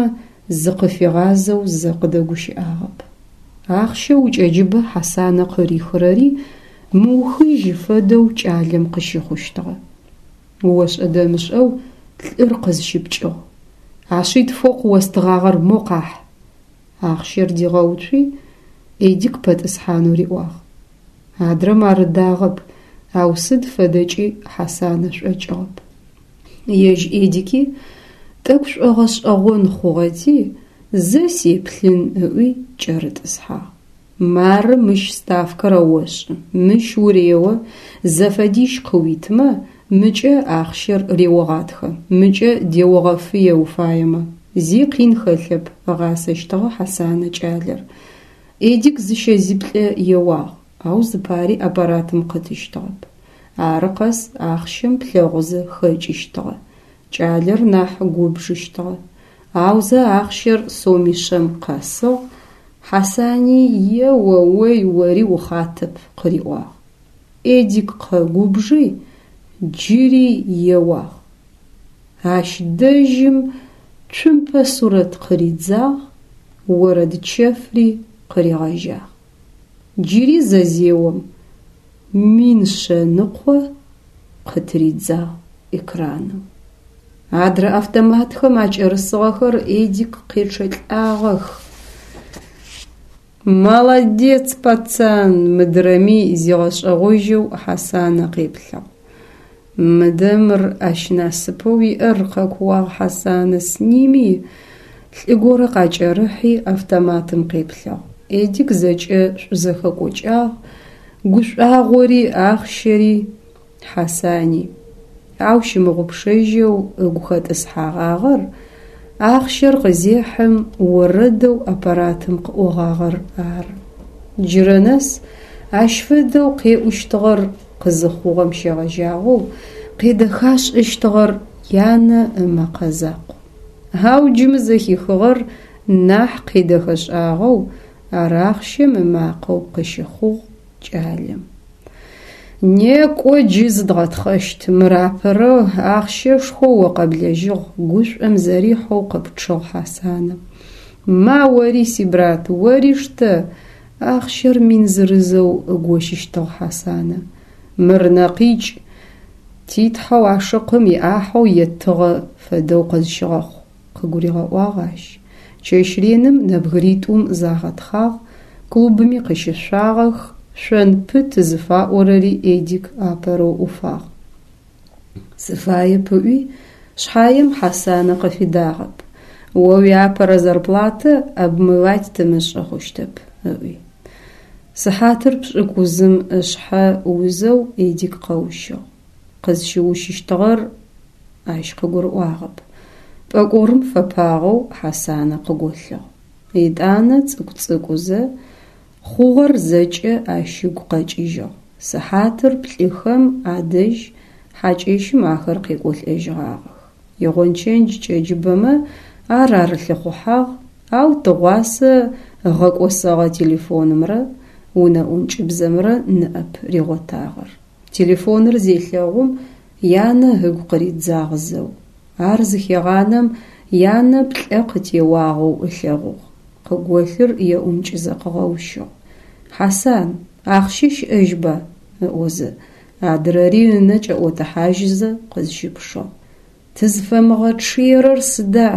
зыкъыфигъазэу зэ къыдэгущыӏагъэп. Ахъщэу ыкӏэджыбэ Хьасанэ къырихырэри мыухыжь фэдэу кӏалэм къыщыхъущтыгъэ. Ошӏэ-дэмышӏэу лӏыр къызщыпкӏыгъ. А шъитфэу къыостыгъагъэр мо къахь. Ахъщэр дигъэуцуи, Эдик пэтӏысхьанэу риӏуагъ. Адрэм ар ыдагъэп, ау сыд фэдэкӏи Хьасанэ шӏокӏыгъэп. Ежь Эдики Тӏэкӏу шӏогъэшӏэгъон хъугъэти, зэ сеплъын ыӏуи кӏэрытӏысхьагъ. Мары мыщ ставкэр ошӏы, мыщ урео, зэфэдищ къыуитмэ, мыкӏэ ахъщэр реогъатхэ, мыкӏэ деогъэфые уфаемэ. Зи къин хэлъэп, ыгъасэщтыгъэ Хьасанэ кӏалэр. Эдик зыщэ-зиплӏэ еуагъ, ау зыпари аппаратым къытыщтыгъэп. Ары къэс ахъщэм плъэгъузэ хэкӏыщтыгъэ. Кӏалэр нахь губжыщтыгъэ. Аузэ ахъщэр сомишъэм къэсыгъ, Хьасани «Е-о-ой, ори ухъатэп» къыриӏуагъ. Эдик къэгубжи, джыри еуагъ. Ащ дэжьым цумпэ сурэт къыридзагъ, орэд чэфри къыригъэжьагъ. Джыри зэ зеом, мин шъэныкъо къытыридзагъ экраным. Адрэ автоматхэм акӏэрысыгъэхэр Эдик къечъэлӏагъэх. Молодец, пацан, мыдрэми зигъэшӏэгъожьэу Хьасанэ къеплъыгъ. Мыдэ мыр, ащ насыпэу иӏэр, къэкууагъ Хьасанэ, сними! Лӏы горэ къакӏэрыхьи автоматым къеплъыгъ. Эдик зэкӏэ шӏузэхэкӏокӏагъ, гушӏуагъори, ахъщэри, Хьасани. Ау щымыгъупшэжьэу ыгу хэтӏысхьэгъагъэр ахъщэр къызехьым орэдэу аппаратым къыӏогъагъэр ары. Джырэ нэс ащ фэдэу къеӏущтыгъэр къызыхъугъэм щегъэжьагъэу къедэхашӏэщтыгъэр янэ ымэкъэ закъу. Ау джы мы зэхихыгъэр нахь къедэхэшӏагъэу ар ахъщэм ымакъэу къыщыхъугъ кӏалэм. Некӏо джы зыдгъэтхъэщт, мыр апэрэу ахъщэшхо о къэблэжьыгъ, гушӏом зэрихьэу къыпчъыгъ Хьасанэ. Ма ори, си брат, ори штэ, ахъщэр мин зырызэу ыгощыщтыгъ Хьасанэ. Мыр нэкъикӏ, титхьэу ашыкъым иӏахьэу еттыгъэ фэдэу къызщыгъэхъу, къыгуригъэӏуагъ ащ. Чэщ реным нэбгыритӏум загъэтхъагъ, клубми къыщышъуагъэх, шъон пыт зыфаӏорэри Эдик апэрэу ӏуфагъ. Сыфаеп ыӏуи, шъхьаем Хьасанэ къыфидагъэп. О уиапэрэ зарплатэ обмывать тымышӏы хъущтэп, ыӏуи. Сыхьатыр пшӏыкӏузым ышъхьэ узэу Эдик къэущыгъ. Къызщыущыщтыгъэр ащ къыгурыӏуагъэп. Пӏэкӏорым фэпагъэу Хьасанэ къыголъыгъ. Етӏанэ цӏыкӏу-цӏыкӏузэ хъугъэр зэкӏэ ащ ыгу къэкӏыжьыгъ. Сыхьатыр плӏыхэм адэжь хьакӏэщым ахэр къекӏолӏэжьыгъагъэх. Игъончэндж кӏэджыбэмэ ар арылъыхъухьагъ, ау тыгъуасэ ыгъэкӏосэгъэ телефонымрэ унэ ӏункӏыбзэмрэ ныӏэп ригъотагъэр. Телефоныр зелъэгъум янэ ыгу къыридзагъ зэу. Ар зыхегъанэм янэ плӏэ къытеуагъэу ылъэгъугъ. Къыголъыр еӏункӏызэ къыгъэущыгъ. Хьасан, ахъщэ щыӏэжьба? Ыӏозэ, адрэри ынэ кӏэӏотыхьажьызэ къызщыпшыгъ. Тызфэмыгъэчъыерэр сыда?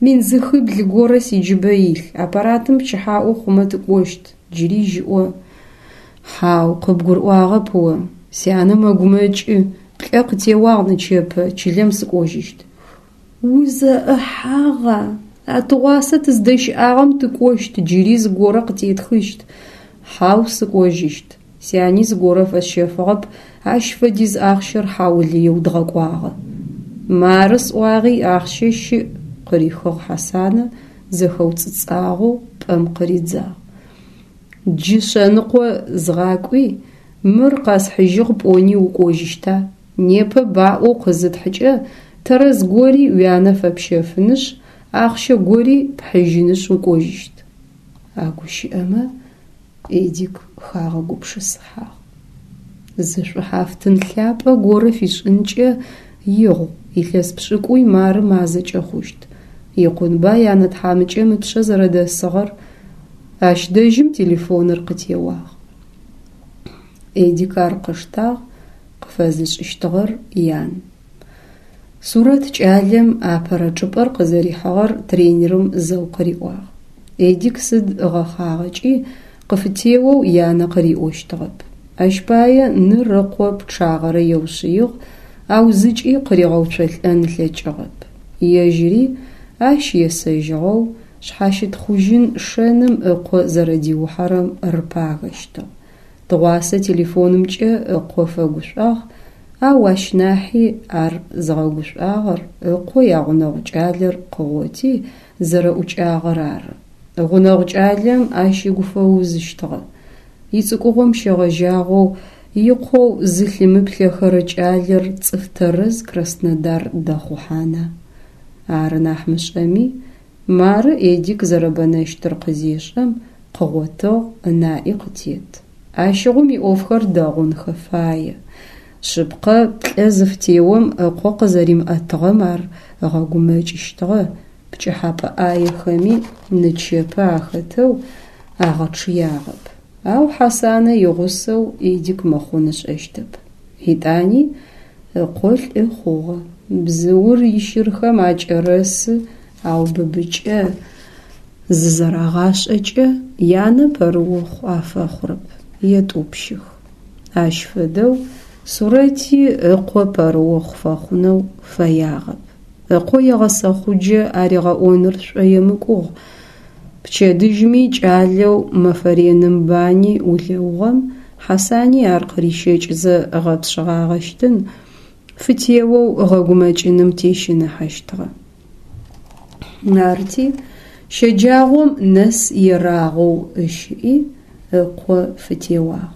Мин зыхыбл горэ сиджыбэ илъ, аппаратым пчыхьаӏо хъумэ тыкӏощт, джыри жьыӏо. Хьау, къыбгурыӏуагъэп о. Сянэ мэгумэкӏы, плӏэ къытеуагъ нычэпэ, чылэм сыкӏожьыщт. Узэӏыхьагъа? А тыгъуасэ тыздэщыӏагъэм тыкӏощт, джыри зыгорэ къытетхыщт. Хьау, сыкӏожьыщт. Сяни зыгорэ фэсщэфыгъэп, ащ фэдиз ахъщэр хьаулыеу дгъэкӏуагъэ. Мары сӏуагъи ахъщэ щыӏ, къырихыгъ Хьасанэ, зэхэуцӏыцӏагъэу пӏэм къыридзагъ. Джы шъэныкъо згъакӏуи, мыр къэсхьыжьыгъ пӏони укӏожьыщта? Непэ баӏоу къызытхькӏэ тэрэз гори уянэ фэпщэфынышъ, ахъщэ гори пхьыжьынышъ укӏожьыщт. А гущыӏэмэ Эдик хагъэгупшысыхьагъ. Зы шӏухьафтын лъапӏэ горэ фишӏынкӏэ игъу, илъэс пшӏыкӏуй мары мазэкӏэ хъущт. Икъунба янэ тхьамыкӏэм ыпшъэ зэрэдэсыгъэр. Ащ дэжьым телефоныр къытеуагъ. Эдик ар къыштагъ, къыфэзышӏыщтыгъэр ян. Сурэт кӏалэм апэрэ чӏыпӏэр къызэрихьыгъэр тренерым зэу къыриӏуагъ. Эдик сыд ыгъэхъагъэкӏи къыфытеоу янэ къыриӏощтыгъэп. Ащ пае ныр ыкъо пчъагъэрэ еушъыигъ, ау зыкӏи къыригъэуцолӏэн ылъэкӏыгъэп. Ежьыри ащ есэжьыгъэу, шъхьащытхъужьын шэным ыкъо зэрэдиухьэрэм рыпагэщтыгъ. Тыгъуасэ телефонымкӏэ ыкъо фэгушӀуагъ, ау ащ нахьи ар зыгъэгушӀуагъэр ыкъо ягъунэгъу кӀалэр къыгъоти зэрэӀукӀагъэр ары. Гъунэгъу кӀалэм ащ ыгу фэузыщтыгъэ. ИцӀыкӀугъом щегъэжьагъэу икъоу зылъымыплъэхэрэ кӀалэр цӀыф тэрэз Краснодар дэхъухьана? Ары нахь мышӀэми, мары Эдик зэрэбэнэщтыр къызешӀэм, къыгъотыгъ, ынаӀи къытет. Ащыгъум иӀофхэр дэгъунхэ фае. Шъыпкъэ, плӀэ зыфытеом ыкъо къызэримыӀэтыгъэм ар ыгъэгумэкӀыщтыгъэ, пкӀыхьапӀэ Ӏаехэми нычэпэ ахэтэу агъэчъыягъэп. Ау Хьасанэ игъусэу Эдик мыхъун ышӀэщтэп. ЕтӀани ыкъо лӀы хъугъэ. Бзыур ищырхэм акӀэрэсы, ау быбыкӀэ зызэрагъашӀэкӀэ янэ пэрыохъу афэхъурэп, етӀупщых. Ащ фэдэу Сурэти ыкъо пэрыохъу фэхъунэу фэягъэп. Ыкъо егъэсэхъуджэ аригъэӀоныр шӀоемыкӀугъ. Пчэдыжьми кӀалэу мэфэ реным бани улэугъэм Хьасани ар къырищэкӀызэ гъэпшъыгъагъэщтын, фытеоу ыгъэгумэкӀыным тещыныхьэщтыгъэ. Арти, щэджагъом нэс ерагъоу ыщыӀи, ыкъо фытеуагъ.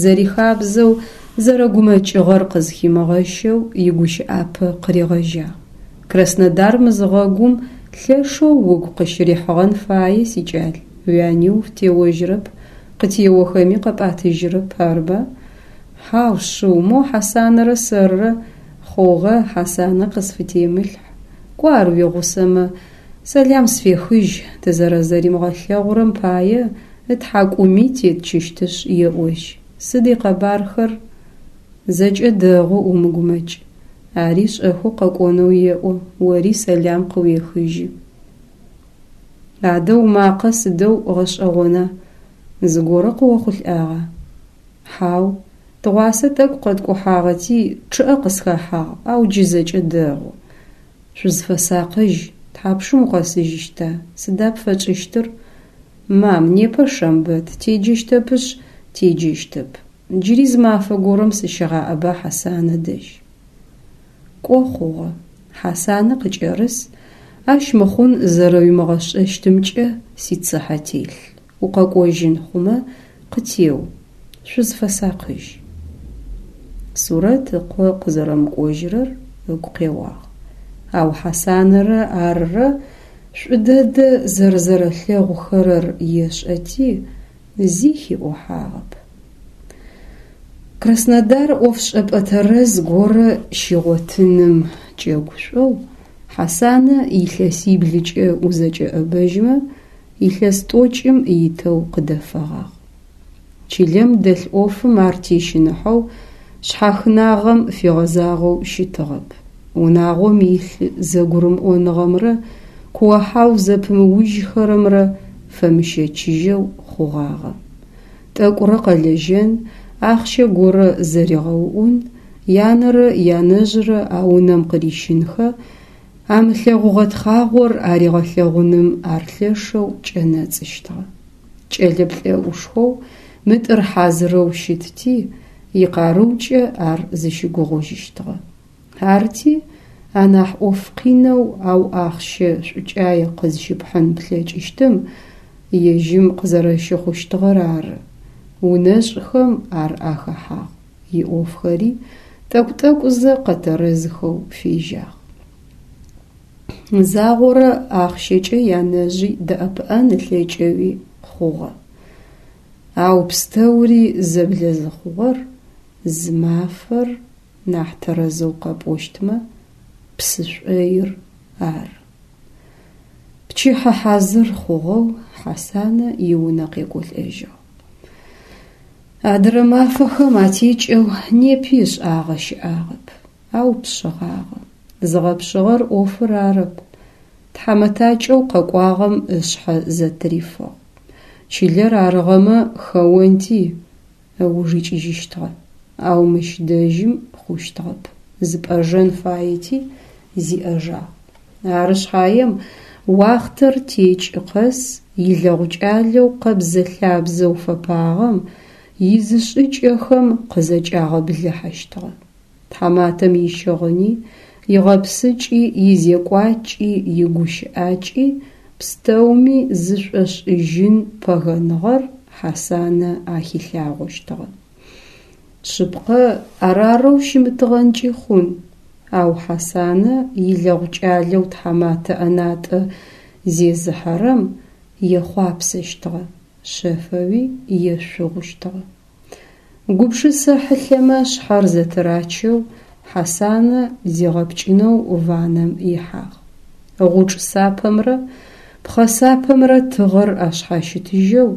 Зэрихабзэу, зэрэгумэкӀыгъэр къызхимыгъэщэу игущыӀапэ къыригъэжьагъ. Краснодар мызыгъэгум лъэшэу угу къыщырихьыгъэн фае, сикӀал, уяни уфытеожьырэп, къытеохэми къэпӀатыжьырэп, арыба? Хьау шъыу, мо Хьасанэрэ сэрырэ хъугъэ, Хьасанэ къысфытемылъхь. КӀо ар уигъусэмэ, сэлам сфехыжь, тызэрэзэримыгъэлъэгъурэм пае ытхьакӀуми тетчыщтышъ еӀожь. Сыд икъэбархэр? ЗэкӀэ дэгъу, умыгумэкӀ. Ари шӀэхэу къэкӀонэу еӀо, ори сэлам къыуехыжьы. Адэ умакъэ сыдэу гъэшӀэгъона, зыгорэ къыохъулӀагъа? Хьау, тыгъуасэ тӀэкӀу къэткӀухьагъэти, чъыӀэ къысхэхьагъ, ау джы зэкӀэ дэгъу. Шъузфэсакъыжь, тхьапшым укъэсыжьыщта, сыда пфэтшӀыщтыр? Мам, непэ шэмбэт, теджэщтэпышъ, теджэщтэп. Джыри зы мафэ горэм сыщыгъаӀэба Хьасанэ дэжь. КӀо хъугъэ. Хьасанэ къыкӀэрыс, ащ мыхъун зэрэуимыгъэшӀэщтымкӀэ сицыхьэ телъ. УкъэкӀожьын хъумэ, къытеу. Шъузфэсакъыжь. Сурэт ыкъо къызэрэмыкӀожьырэр ыгу къеуагъ. Ау Хьасанэрэ арырэ шӀу дэдэ зэрэзэрэлъэгъухэрэр ешӀэти, зи хиӀохьагъэп. Краснодар ӀофшӀэпӀэ тэрэз горэ щигъотыным кӀэгушӀоу Хьасанэ илъэсиблыкӀэ узэкӀэӀэбэжьмэ илъэс тӀокӀым итэу къыдэфэгъагъ. Чылэм дэлъ Ӏофым ар тещыныхьэу, шъхьахынагъэм фигъэзагъэу щытыгъэп. Унагъом илъ зэгурымыӀоныгъэмрэ куо-хьау зэпымыужьхэрэмрэ фэмыщэчыжьэу хъугъагъэ. ТӀэкӀурэ къэлэжьэн, ахъщэ горэ зэригъэуӀун, янэрэ янэжърэ а унэм къырищынхэ, амылъэгъугъэ тхъагъор аригъэлъэгъуным ар лъэшэу кӀэнэцӀыщтыгъэ. КӀэлэ плӀэӀушхоу, мытӀыр хьазырэу щытти, икъарыукӀэ ар зыщыгугъыжьыщтыгъэ. Арти, анахь Ӏоф къинэу, ау ахъщэ шӀукӀае къызщыпхьын плъэкӀыщтым ежьым къызэрэщыхъущтыгъэр ары. УнэшӀхэм ар ахэхьагъ, иӀофхэри тӀэкӀу-тӀэкӀузэ къэтэрэзхэу фежьагъ. Загъорэ ахъщэкӀэ янэжъи дэӀэпыӀэн ылъэкӀэуи хъугъэ. Ау пстэури зэблэзыхъугъэр зы мафэр, нахь тэрэзэу къэпӀощтмэ, псы шӀоир ары. Пчыхьэ хьазыр хъугъэу Хьасанэ иунэ къекӀолӀэжьыгъ. Адырэ мафэхэм атекӀэу непи ышӀагъэ щыӀагъэп, ау пшъыгъагъэ. Зыгъэпшъыгъэр Ӏофыр арэп. ТхьамэтакӀэу къэкӀуагъэм ышъхьэ зэтырифыгъ. Чылэр арыгъэмэ хэонти, ыуж икӀыжьыщтыгъэ. Ау мыщ дэжьым хъущтыгъэп. ЗыпӀэжэн фаети, зиӀэжагъ. Ары шъхьаем уахътэр текӏы къэс илэгъу кӏалэу къэбзэ-лъабзэу фэпагъэм изышӏыкӏэхэм къызэкӏагъэблыхьэщтыгъэ. Тхьаматэм ищыгъыни, игъэпсыкӏи, изекӏуакӏи, игущыӏакӏи пстэуми зышӏошӏыжьын пэгэныгъэр Хьасанэ ахилъагъощтыгъэ. Шъыпкъэ, арарэу щымытыгъэнкӏи хъун, ау Хьасанэ илэгъу кӏалэу тхьаматэ ӏэнатӏэ зезыхьэрэм ехъуапсэщтыгъэ, шъэфэуи ешъугъущтыгъэ. Гупшысэ хьылъэмэ шъхьэр зэтырачэу Хьасанэ зигъэпкӏынэу ваннэм ихьагъ. Гъучӏ сапэмрэ пхъэ сапэмрэ тыгъэр ашъхьащытыжьэу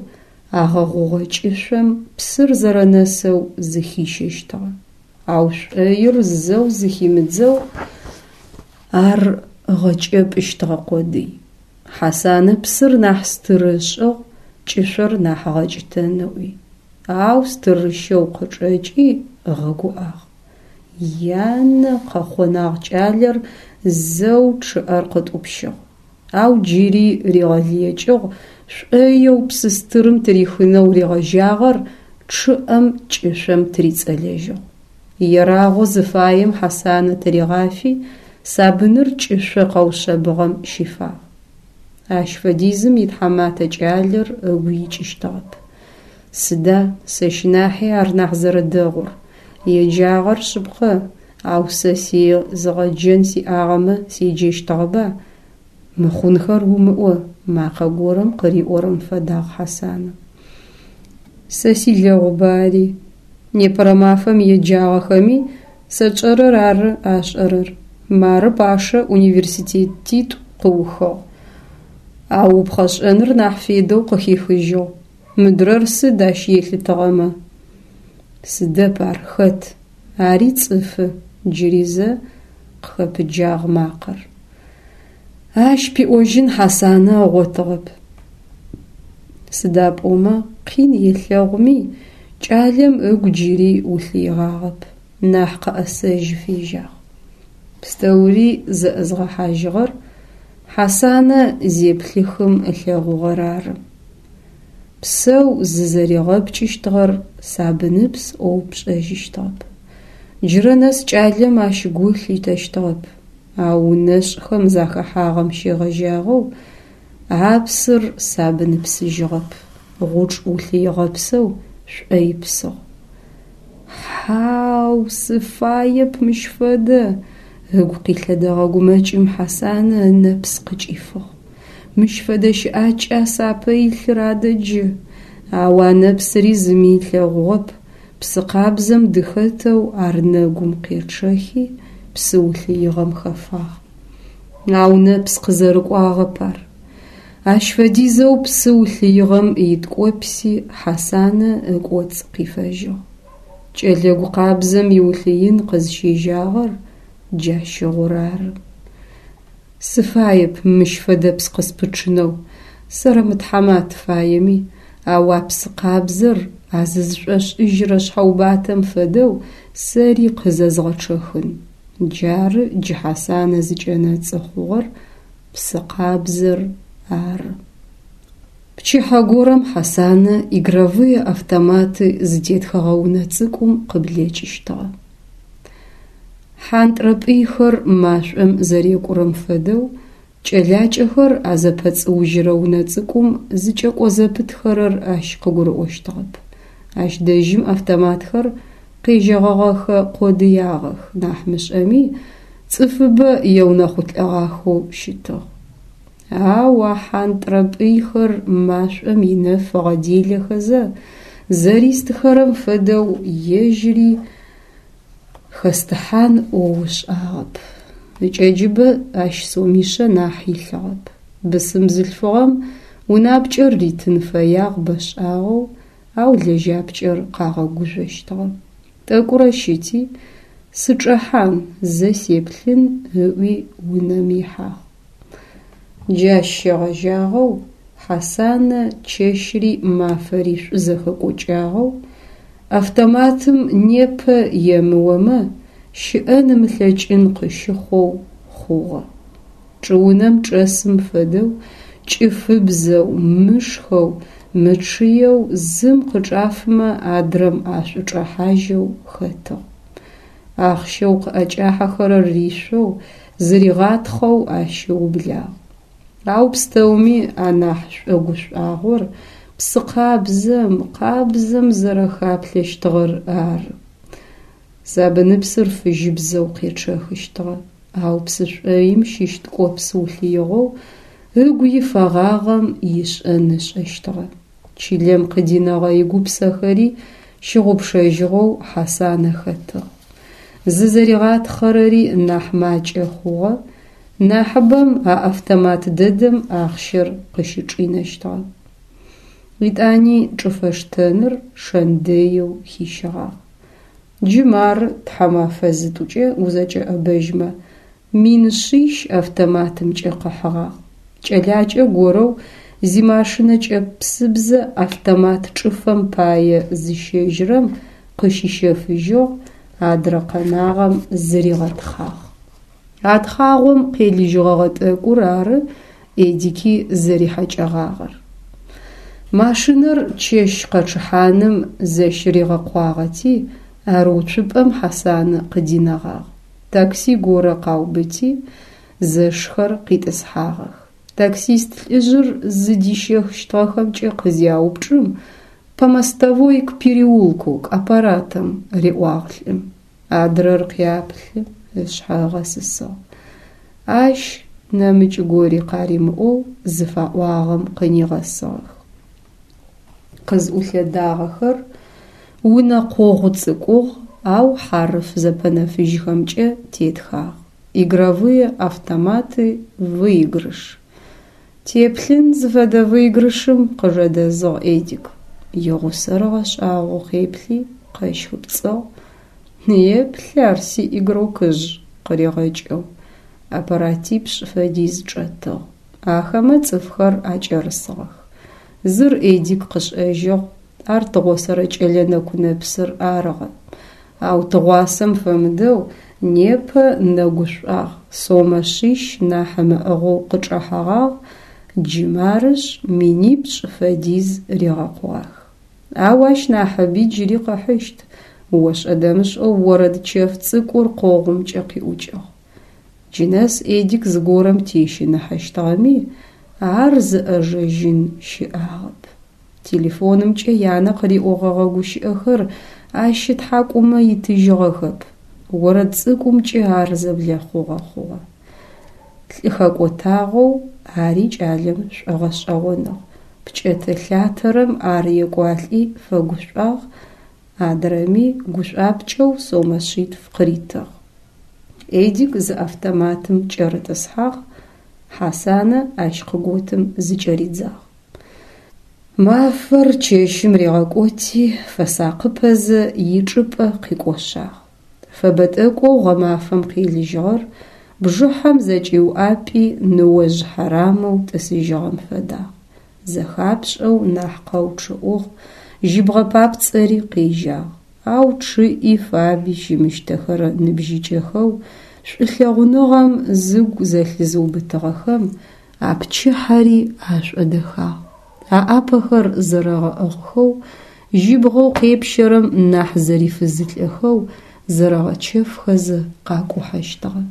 агъэгъугъэ кӏышъом псыр зэрэнэсэу зыхищэщтыгъэ. Ау шӏоир зэу зыхимыдзэу ар ыгъэкӏэпӏыщтыгъэ къодый. Хьасанэ псыр нахь стыры ышӏыгъ, кӏышъор нахь ыгъэкӏытэн ыӏуи. Ау стырыщэу къычӏэкӏи ыгъэгуӏагъ. Янэ, къэхъонагъ кӏалэр, зэу чъыӏэр къытӏупщыгъ. Ау джыри ригъэлыекӏыгъ шӏоеу псы стырым тырихынэу ригъэжьагъэр чъыӏэм кӏышъом тырицӏэлэжьыгъ. Ерагъэу зыфаем Хьасанэ тыригъафи, сабыныр кӏышъо къэушъэбыгъэм щифагъ. Ащ фэдизым итхьаматэ кӏалэр ыгу икӏыщтыгъэп. Сыда, сэщ нахьи ар нахь зэрэдэгъур? Еджагъэр шъыпкъэ, ау сэ сезыгъэджэн сиӏагъэмэ седжэщтыгъэба? Мыхъунхэр умыӏо, макъэ горэм къыриӏорэм фэдагъ Хьасанэ. Сэ силэгъуба ари. Непэрэ мафэм еджагъэхэми сэ тшӏэрэр ары ашӏэрэр. Мары Пашэ университетитӏу къыухыгъ. Ау упхъэшӏэныр нахь федэу къыхихыжьыгъ. Мыдрэр сыд ащ елъытыгъэмэ? Сыдэп ар, хэт? Ари цӏыфы, джыри зэ къыхэпыджагъ макъэр. Ащ пиӏожьын Хьасанэ ыгъотыгъэп. Сыда пӏомэ къин елъэгъуми, кӏалэм ыгу джыри улъыигъагъэп, нахь къэӏэсэжьы фежьагъ. Пстэури зэӏызгъэхьажьыгъэр Хьасанэ зеплъыхым ылъэгъугъэр ары. Псэу зызэригъэпкӏыщтыгъэр сабыныпс ӏоу пшӏэжьыщтыгъэп. Джырэ нэс кӏалэм ащ гу лъитэщтыгъэп, ау унэшӏхэм захэхьагъэм щегъэжьагъэу а псыр сабыныпсыжьыгъэп, гъучӏ улъыигъэпсэу шӏоипсыгъ. Хьау, сыфаеп мыщ фэдэ! Ыгу къилъэдэгъэ гумэкӏым Хьасанэ ынэпс къыкӏифыгъ. Мыщ фэдэ щыӏакӏа сапэ илъыр адэ джы? Ау а нэпсыри зыми ылъэгъугъэп, псы къабзэм дыхэтэу ар нэгум къечъэхи, псы улъыигъэм хэфагъ. Ау нэпс къызэрыкӏуагъэп ар. Ащ фэдизэу псы улъыигъэм иткӏопси Хьасанэ ыкӏоцӏ къифэжьыгъ. Кӏэлэ гу къабзэм иулъыин къызщежьагъэр джащыгъур ары. Сыфаеп мыщ фэдэпс къыспычъынэу, сэрэмытхьамат фаеми, ау а псы къабзэр а зызшӏошӏыжьрэ шъхьэубатэм фэдэу сэри къызэзгъэчъэхын. Джары джы Хьасанэ зыкӏэнэцӏы хъугъэр псы къабзэр ары. Пчыхьэ горэм Хьасанэ игровые автоматы зытетхэгъэ унэ цӏыкӏум къыблэкӏыщтыгъэ. Хьантӏрапӏыйхэр машӏом зэрекӏурэм фэдэу кӏэлакӏэхэр а зэпэцӏыужьырэ унэ цӏыкӏум зыкӏэкӏо зэпытхэрэр ащ къыгурыӏощтыгъэп. Ащ дэжьым автоматхэр къежьэгъэгъэхэ къодыягъэх нахь мышӏэми, цӏыфыбэ еунэхъулӏэгъахэу щытыгъ. Ау а хьантӏрапӏыйхэр машӏом инэф ыгъэделэхэзэ зэристыхэрэм фэдэу ежьыри хэстыхьан ӏоу ышӏагъэп. Ыкӏэджыбэ ащ сомишъэ нахь илъыгъэп. Бысым бзылъфыгъэм унапкӏэр ритын фэягъ бэшӏагъэу, ау лэжьапкӏэр къагъэгужъощтыгъэ. Тӏэкӏурэ щыти, сычӏэхьан, зэ сеплъын ыӏуи унэм ихьагъ. Джащ щегъэжьагъэу Хьасанэ чэщри мафэри шӏузэхэкӏокӏагъэу, автоматым непэ емыомэ, щыӏэн ымылъэкӏын къыщыхъоу хъугъэ. Чӏыунэм чӏэсым фэдэу кӏыфыбзэу, мышхэу, мычъыеу, зым къычӏафымэ адрэм ашӏучӏэхьажьэу хэтыгъ. Ахъщэу къыӏэкӏахьэхэрэр ришъоу, зыригъатхъэу ащ ыублагъ. Ау пстэуми анахь шӏогушӏуагъор псы къабзэм, къабзэм зэрэхаплъэщтыгъэр ары. Сабыныпсыр фыжьыбзэу къечъэхыщтыгъэ, ау псы шӏоим щыщ ткӏопс улъыигъэу ыгу ифэгъагъэм ишӏэн ышӏэщтыгъэ. Чылэм къыдинэгъэ игупсэхэри щыгъупшэжьыгъэу Хьасанэ хэтыгъ. Зызэригъатхъэрэри нахь макӏэ хъугъэ, нахьыбэм а автомат дэдэм ахъщэр къыщычӏинэщтыгъэ. Етӏани чӏыфэштэныр шэн дэеу хищыгъагъ. Джы мары тхьэмэфэ зытӏукӏэ узэкӏэӏэбэжьмэ мин шъищ автоматымкӏэ къыхьыгъагъ. Кӏэлакӏэ горэу зимашинэ кӏэпсыбзэ автомат чӏыфэм пае зыщэжьрэм къыщищэфыжьыгъ, адрэ къэнагъэм зыригъэтхъагъ. А тхъагъом къелыжьыгъэгъэ тӏэкӏур ары Эдики зэрихьэкӏэгъагъэр. Машинэр чэщ къэчъыхьаным зэщыригъэкъуагъэти, ар уцупӏэм Хьасанэ къыдинэгъагъ. Такси горэ къаубыти, зэшхэр къитӏысхьагъэх. Таксист лӏыжъыр зыдищэщтыгъэхэмкӏэ къызяупчӏым, «По мостовой к переулку, к аппаратам», риӏуагъ лӏым. Адрэр къяплъы, ышъхьэ ыгъэсысыгъ. Ащ нэмыкӏ гори къаримыӏоу зыфаӏуагъэм къынигъэсыгъэх. Къызӏулъэдагъэхэр унэ къогъу цӏыкӏугъ, ау хьарыф зэпэнэфыжьхэмкӏэ тетхагъ: «Игровые автоматы, выигрыш». Теплъын зыфэдэ выигрышым къыжэдэзыгъ Эдик. Игъусэр ыгъэшӏагъоу къеплъи, къэщхыпцӏыгъ. Еплъ ар си игрокыжъ къыригъэкӏэу. Аппаратипшӏ фэдиз чӏэтыгъ. Ахэмэ цӏыфхэр акӏэрысыгъэх. Зыр Эдик къышӏэжьыгъ, ар тыгъосэрэ кӏэлэ нэку-нэпсыр арыгъэ. Ау тыгъуасэм фэмыдэу непэ нэгушӏуагъ, сомэ шъищ нахь ымыӏыгъэу къычӏэхьэгъагъ, джы марышъ минипшӏ фэдиз ригъэкъугъах. Ау ащ нахьыби джыри къыхьыщт. Ошӏэ-дэмышӏэу орэд чэф цӏыкӏур къогъумкӏэ къиӏукӏыгъ. Джы нэс Эдик зыгорэм тещыныхьэщтыгъэми, ар зыӏэжэжьын щыӏагъэп. Телефонымкӏэ янэ къыриӏогъэгъэ гущыӏэхэр ащ ытхьакӏумэ итыжьыгъэхэп. Орэд цӏыкӏумкӏэ ар зэблэхъугъэ хъугъэ. Лӏы хэкӏотагъэу ари кӏалэм шӏогъэшӏэгъоныгъ. Пкӏэтэ-лъатэрэм ар екӏуалӏи фэгушӏуагъ, адрэми гушӏуапкӏэу сомэ шъитф къыритыгъ. Эдик зы автоматым кӏэрытӏысхьагъ, Хьасанэ ащ къыготым зыкӏэридзагъ. Мафэр чэщым ригъэкӏоти, фэсакъыпэзэ ичӏыпӏэ къикӏошъагъ. Фэбэ тӏэкӏоу гъэмафэм къелыжьыгъэр бжыхьэм зэкӏиуӏапӏи ныожъ хьарамэу тӏысыжьыгъэм фэдагъ. Зэхапшӏэу нахь къэучъыӏугъ, жьыбгъэ папцӏэри къежьагъ. Ау чъыӏи фаби щымыщтэхэрэ ныбжьыкӏэхэу шӏулъэгъуныгъэм зыгу зэлъызыубытыгъэхэм а пчыхьэри ашӏодэхагъ. Аӏапэхэр зэрэгъэӏыгъхэу, жьыбгъэу къепщэрэм нахь зэрифызылӏэхэу зэрэгъэчэфхэзэ къакӏухьэщтыгъэ.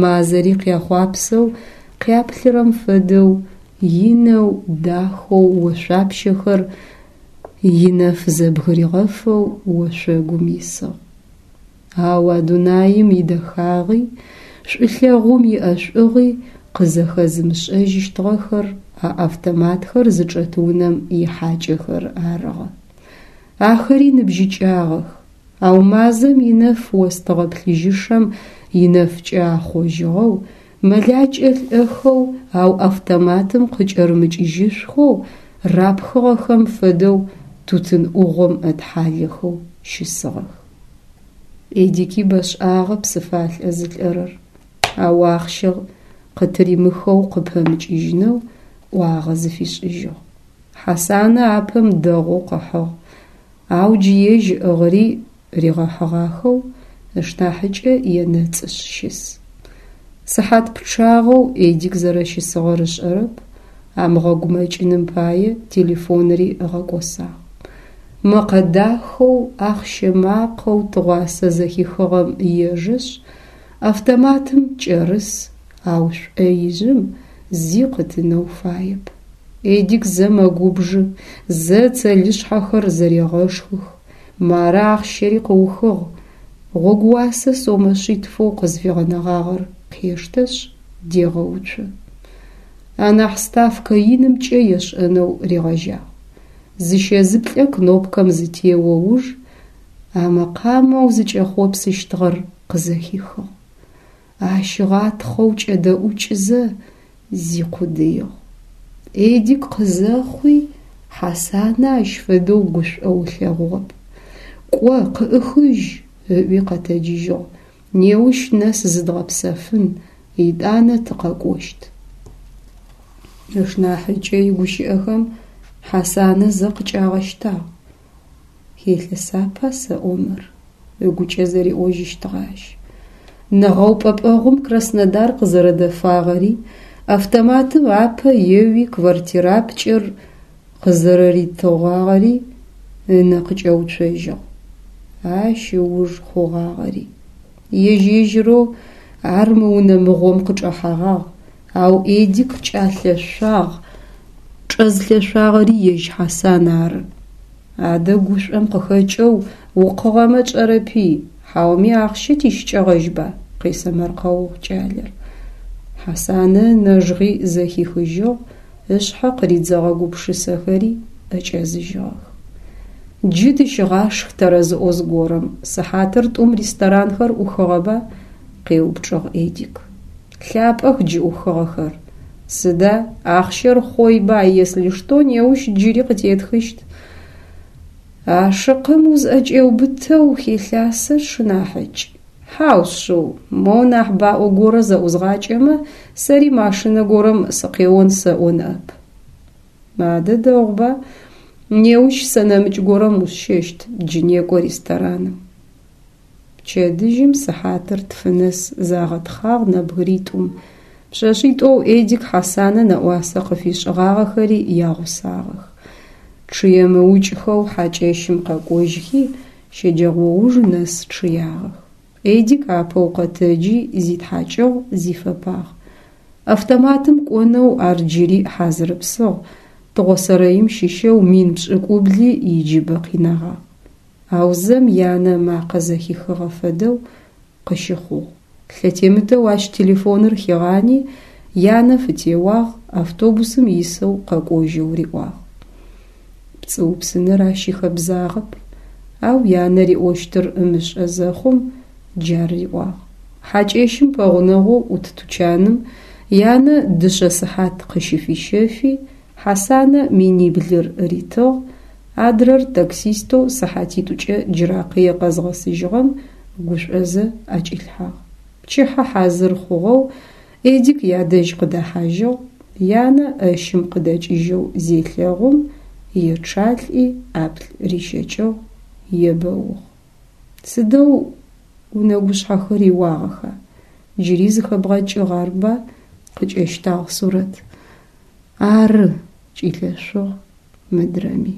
Мазэри къяхъуапсэу къяплъырэм фэдэу инэу, дахэу ошъуапщэхэр инэф зэбгыригъэфэу ошъогум исыгъ. Ау а дунаим идэхагъи, шӏулъэгъум иӏэшӏугъи къызэхэзымышӏэжьыщтыгъэхэр а автоматхэр зычӏэт унэм ихьакӏэхэр арыгъэ. Ахэри ныбжьыкӏагъэх, ау мазэм инэф остыгъэ плъыжьышэм инэфкӏэ ахъожьыгъэу, мэлакӏэ лӏэхэу, ау автоматым къыкӏэрымыкӏыжьышъухэу рапхыгъэхэм фэдэу тутын ӏугъом ытхьалэхэу щысыгъэх. Эдики бэшӏагъэ псыфалӏэ зылӏэрэр, ау ахъщэ къытыримыхэу къыпэмыкӏыжьынэу ӏуагъэ зыфишӏыжьыгъ. Хьасанэ апэм дэгъоу къыхьыгъ, ау джы ежь ыӏыгъыри ригъэхьыгъахэу ышнахьыкӏэ енэцӏышъ щыс. Сыхьат пчъагъэу Эдик зэрэщысыгъэр ышӏэрэп, амыгъэгумэкӏыным пае телефонри ыгъэкӏосагъ. Мэкъэ дахэу, ахъщэ макъэу тыгъуасэ зэхихыгъэм ежэшъ, автоматым кӏэрыс, ау шӏоижъым зи къытынэу фаеп. Эдик зэ мэгубжы, зэ цэлышъхьэхэр зэрегъэшхых. Мары ахъщэри къыухыгъ. Гъогууасэ сомэ шъитфэу къызфигъэнэгъагъэр къештэшъ, дегъэуцо. Анахь ставкэ инымкӏэ ешӏэнэу ригъэжьагъ. Зыщэ-зыплӏэ кнопкэм зытео уж а мэкъамэу зыкӏэхъопсыщтыгъэр къызэхихыгъ. Ащ ыгъатхъэу кӏэдэӏукӏызэ зикъудыигъ. Эдик къызэхъуи Хьасанэ ащ фэдэу гушӏоу ылъэгъугъэп. Кӏо, къыӏыхыжь, ыӏуи къэтэджыжьыгъ. Неущ нэс зыдгъэпсэфын, етӏанэ тыкъэкӏощт. Ышнахьыкӏэ игущыӏэхэм Хьасанэ зэ къыкӏагъэщтагъ. Хелъэсапа сэӏо мыр? Ыгукӏэ зэриӏожьыщтыгъэ ащ. Нэгъэупӏэпӏэгъум Краснодар къызэрэдэфагъэри, автоматым апэ еуи квартирапкӏэр къызэрэритыгъагъэри ынэ къыкӏэуцожьыгъ. Ащ ыуж хъугъагъэри. Ежь-ежьырэу ар мы унэ мыгъом къычӏэхьэгъагъ, ау Эдик кӏалъэшъуагъ, чӏэзлъэшъуагъэри ежь Хьасан ары. Адэ гушӏом къыхэкӏэу укъыгъэмэ чӏэрэпи, хьауми ахъщэ тищыкӏэгъэжьба? Къесэмэркъэугъ кӏалэр. Хьасанэ ынэжгъи зэхихыжьыгъ, ышъхьэ къыридзэгъэ гупшысэхэри ӏэкӏэзыжьыгъэх. Джы тыщыгъашх тэрэзыӏо зыгорэм, сыхьатыр тӏум ресторанхэр ӏухыгъэба? Къеупчӏыгъ Эдик. Лъапӏэх джы ӏухыгъэхэр. Сыда, ахъщэр хъойба, если что, неущ джыри къытетхыщт. Ашыкъым узӏэкӏеубытэу хелъасэ сшынахьыкӏ. Хьау шъыу, моу нахь баӏо горэ зэӏузгъакӏэмэ, сэри машинэ горэм сыкъеон сэӏо ныӏэп. Адэ дэгъуба, неущ сэ нэмыкӏ горэм усщэщт, джы некӏо рестораным. Пчэдыжьым сыхьатыр тфы нэс загъэтхъагъ нэбгыритӏум. Пшъэшъитӏоу Эдик Хьасанэ нэӏуасэ къыфишӏыгъагъэхэри ягъусагъэх. Чъыемыукӏхэу хьакӏэщым къэкӏожьхи, щэджэгъоуж нэс чъыягъэх. Эдик апэу къэтэджи зитхьакӏыгъ, зифэпагъ. Автоматым кӏонэу ар джыри хьазырыпсыгъ, тыгъосэрэим щыщэу мин пшӏыкӏубли иджыбэ къинэгъагъ. Ау зэм янэ ымакъэ зэхихыгъэ фэдэу къыщыхъугъ. Лъэтемытэу ащ телефоныр хигъани, янэ фытеуагъ, автобусым исэу къэкӏожьэу риӏуагъ. Пцӏыупсыныр ащ ихэбзагъэп, ау янэ риӏощтыр ымышӏэ зэхъум джар риӏуагъ. Хьакӏэщым пэгъунэгъоу ӏут тучаным янэ дышъэ сыхьат къыщыфищэфи, Хьасанэ миниблыр ритыгъ, адрэр таксистэу сыхьатитӏукӏэ Джыракъые къэзгъэсыжьыгъэм гушӏозэ ӏэкӏилъхьагъ. Пчыхьэ хьазыр хъугъэу Эдик ядэжь къыдэхьажьыгъ, янэ ӏэщым къыдэкӏыжьэу зелъэгъум, ечъалӏи ӏаплӏ рищэкӏыгъ, ебэугъ. Сыдэу унэгушъхьэхэр иуагъэха? Джыри зыхэбгъэкӏыгъ арба? Къыкӏэщтагъ Сурэт. Ары, кӏилъэшъугъ мыдрэми.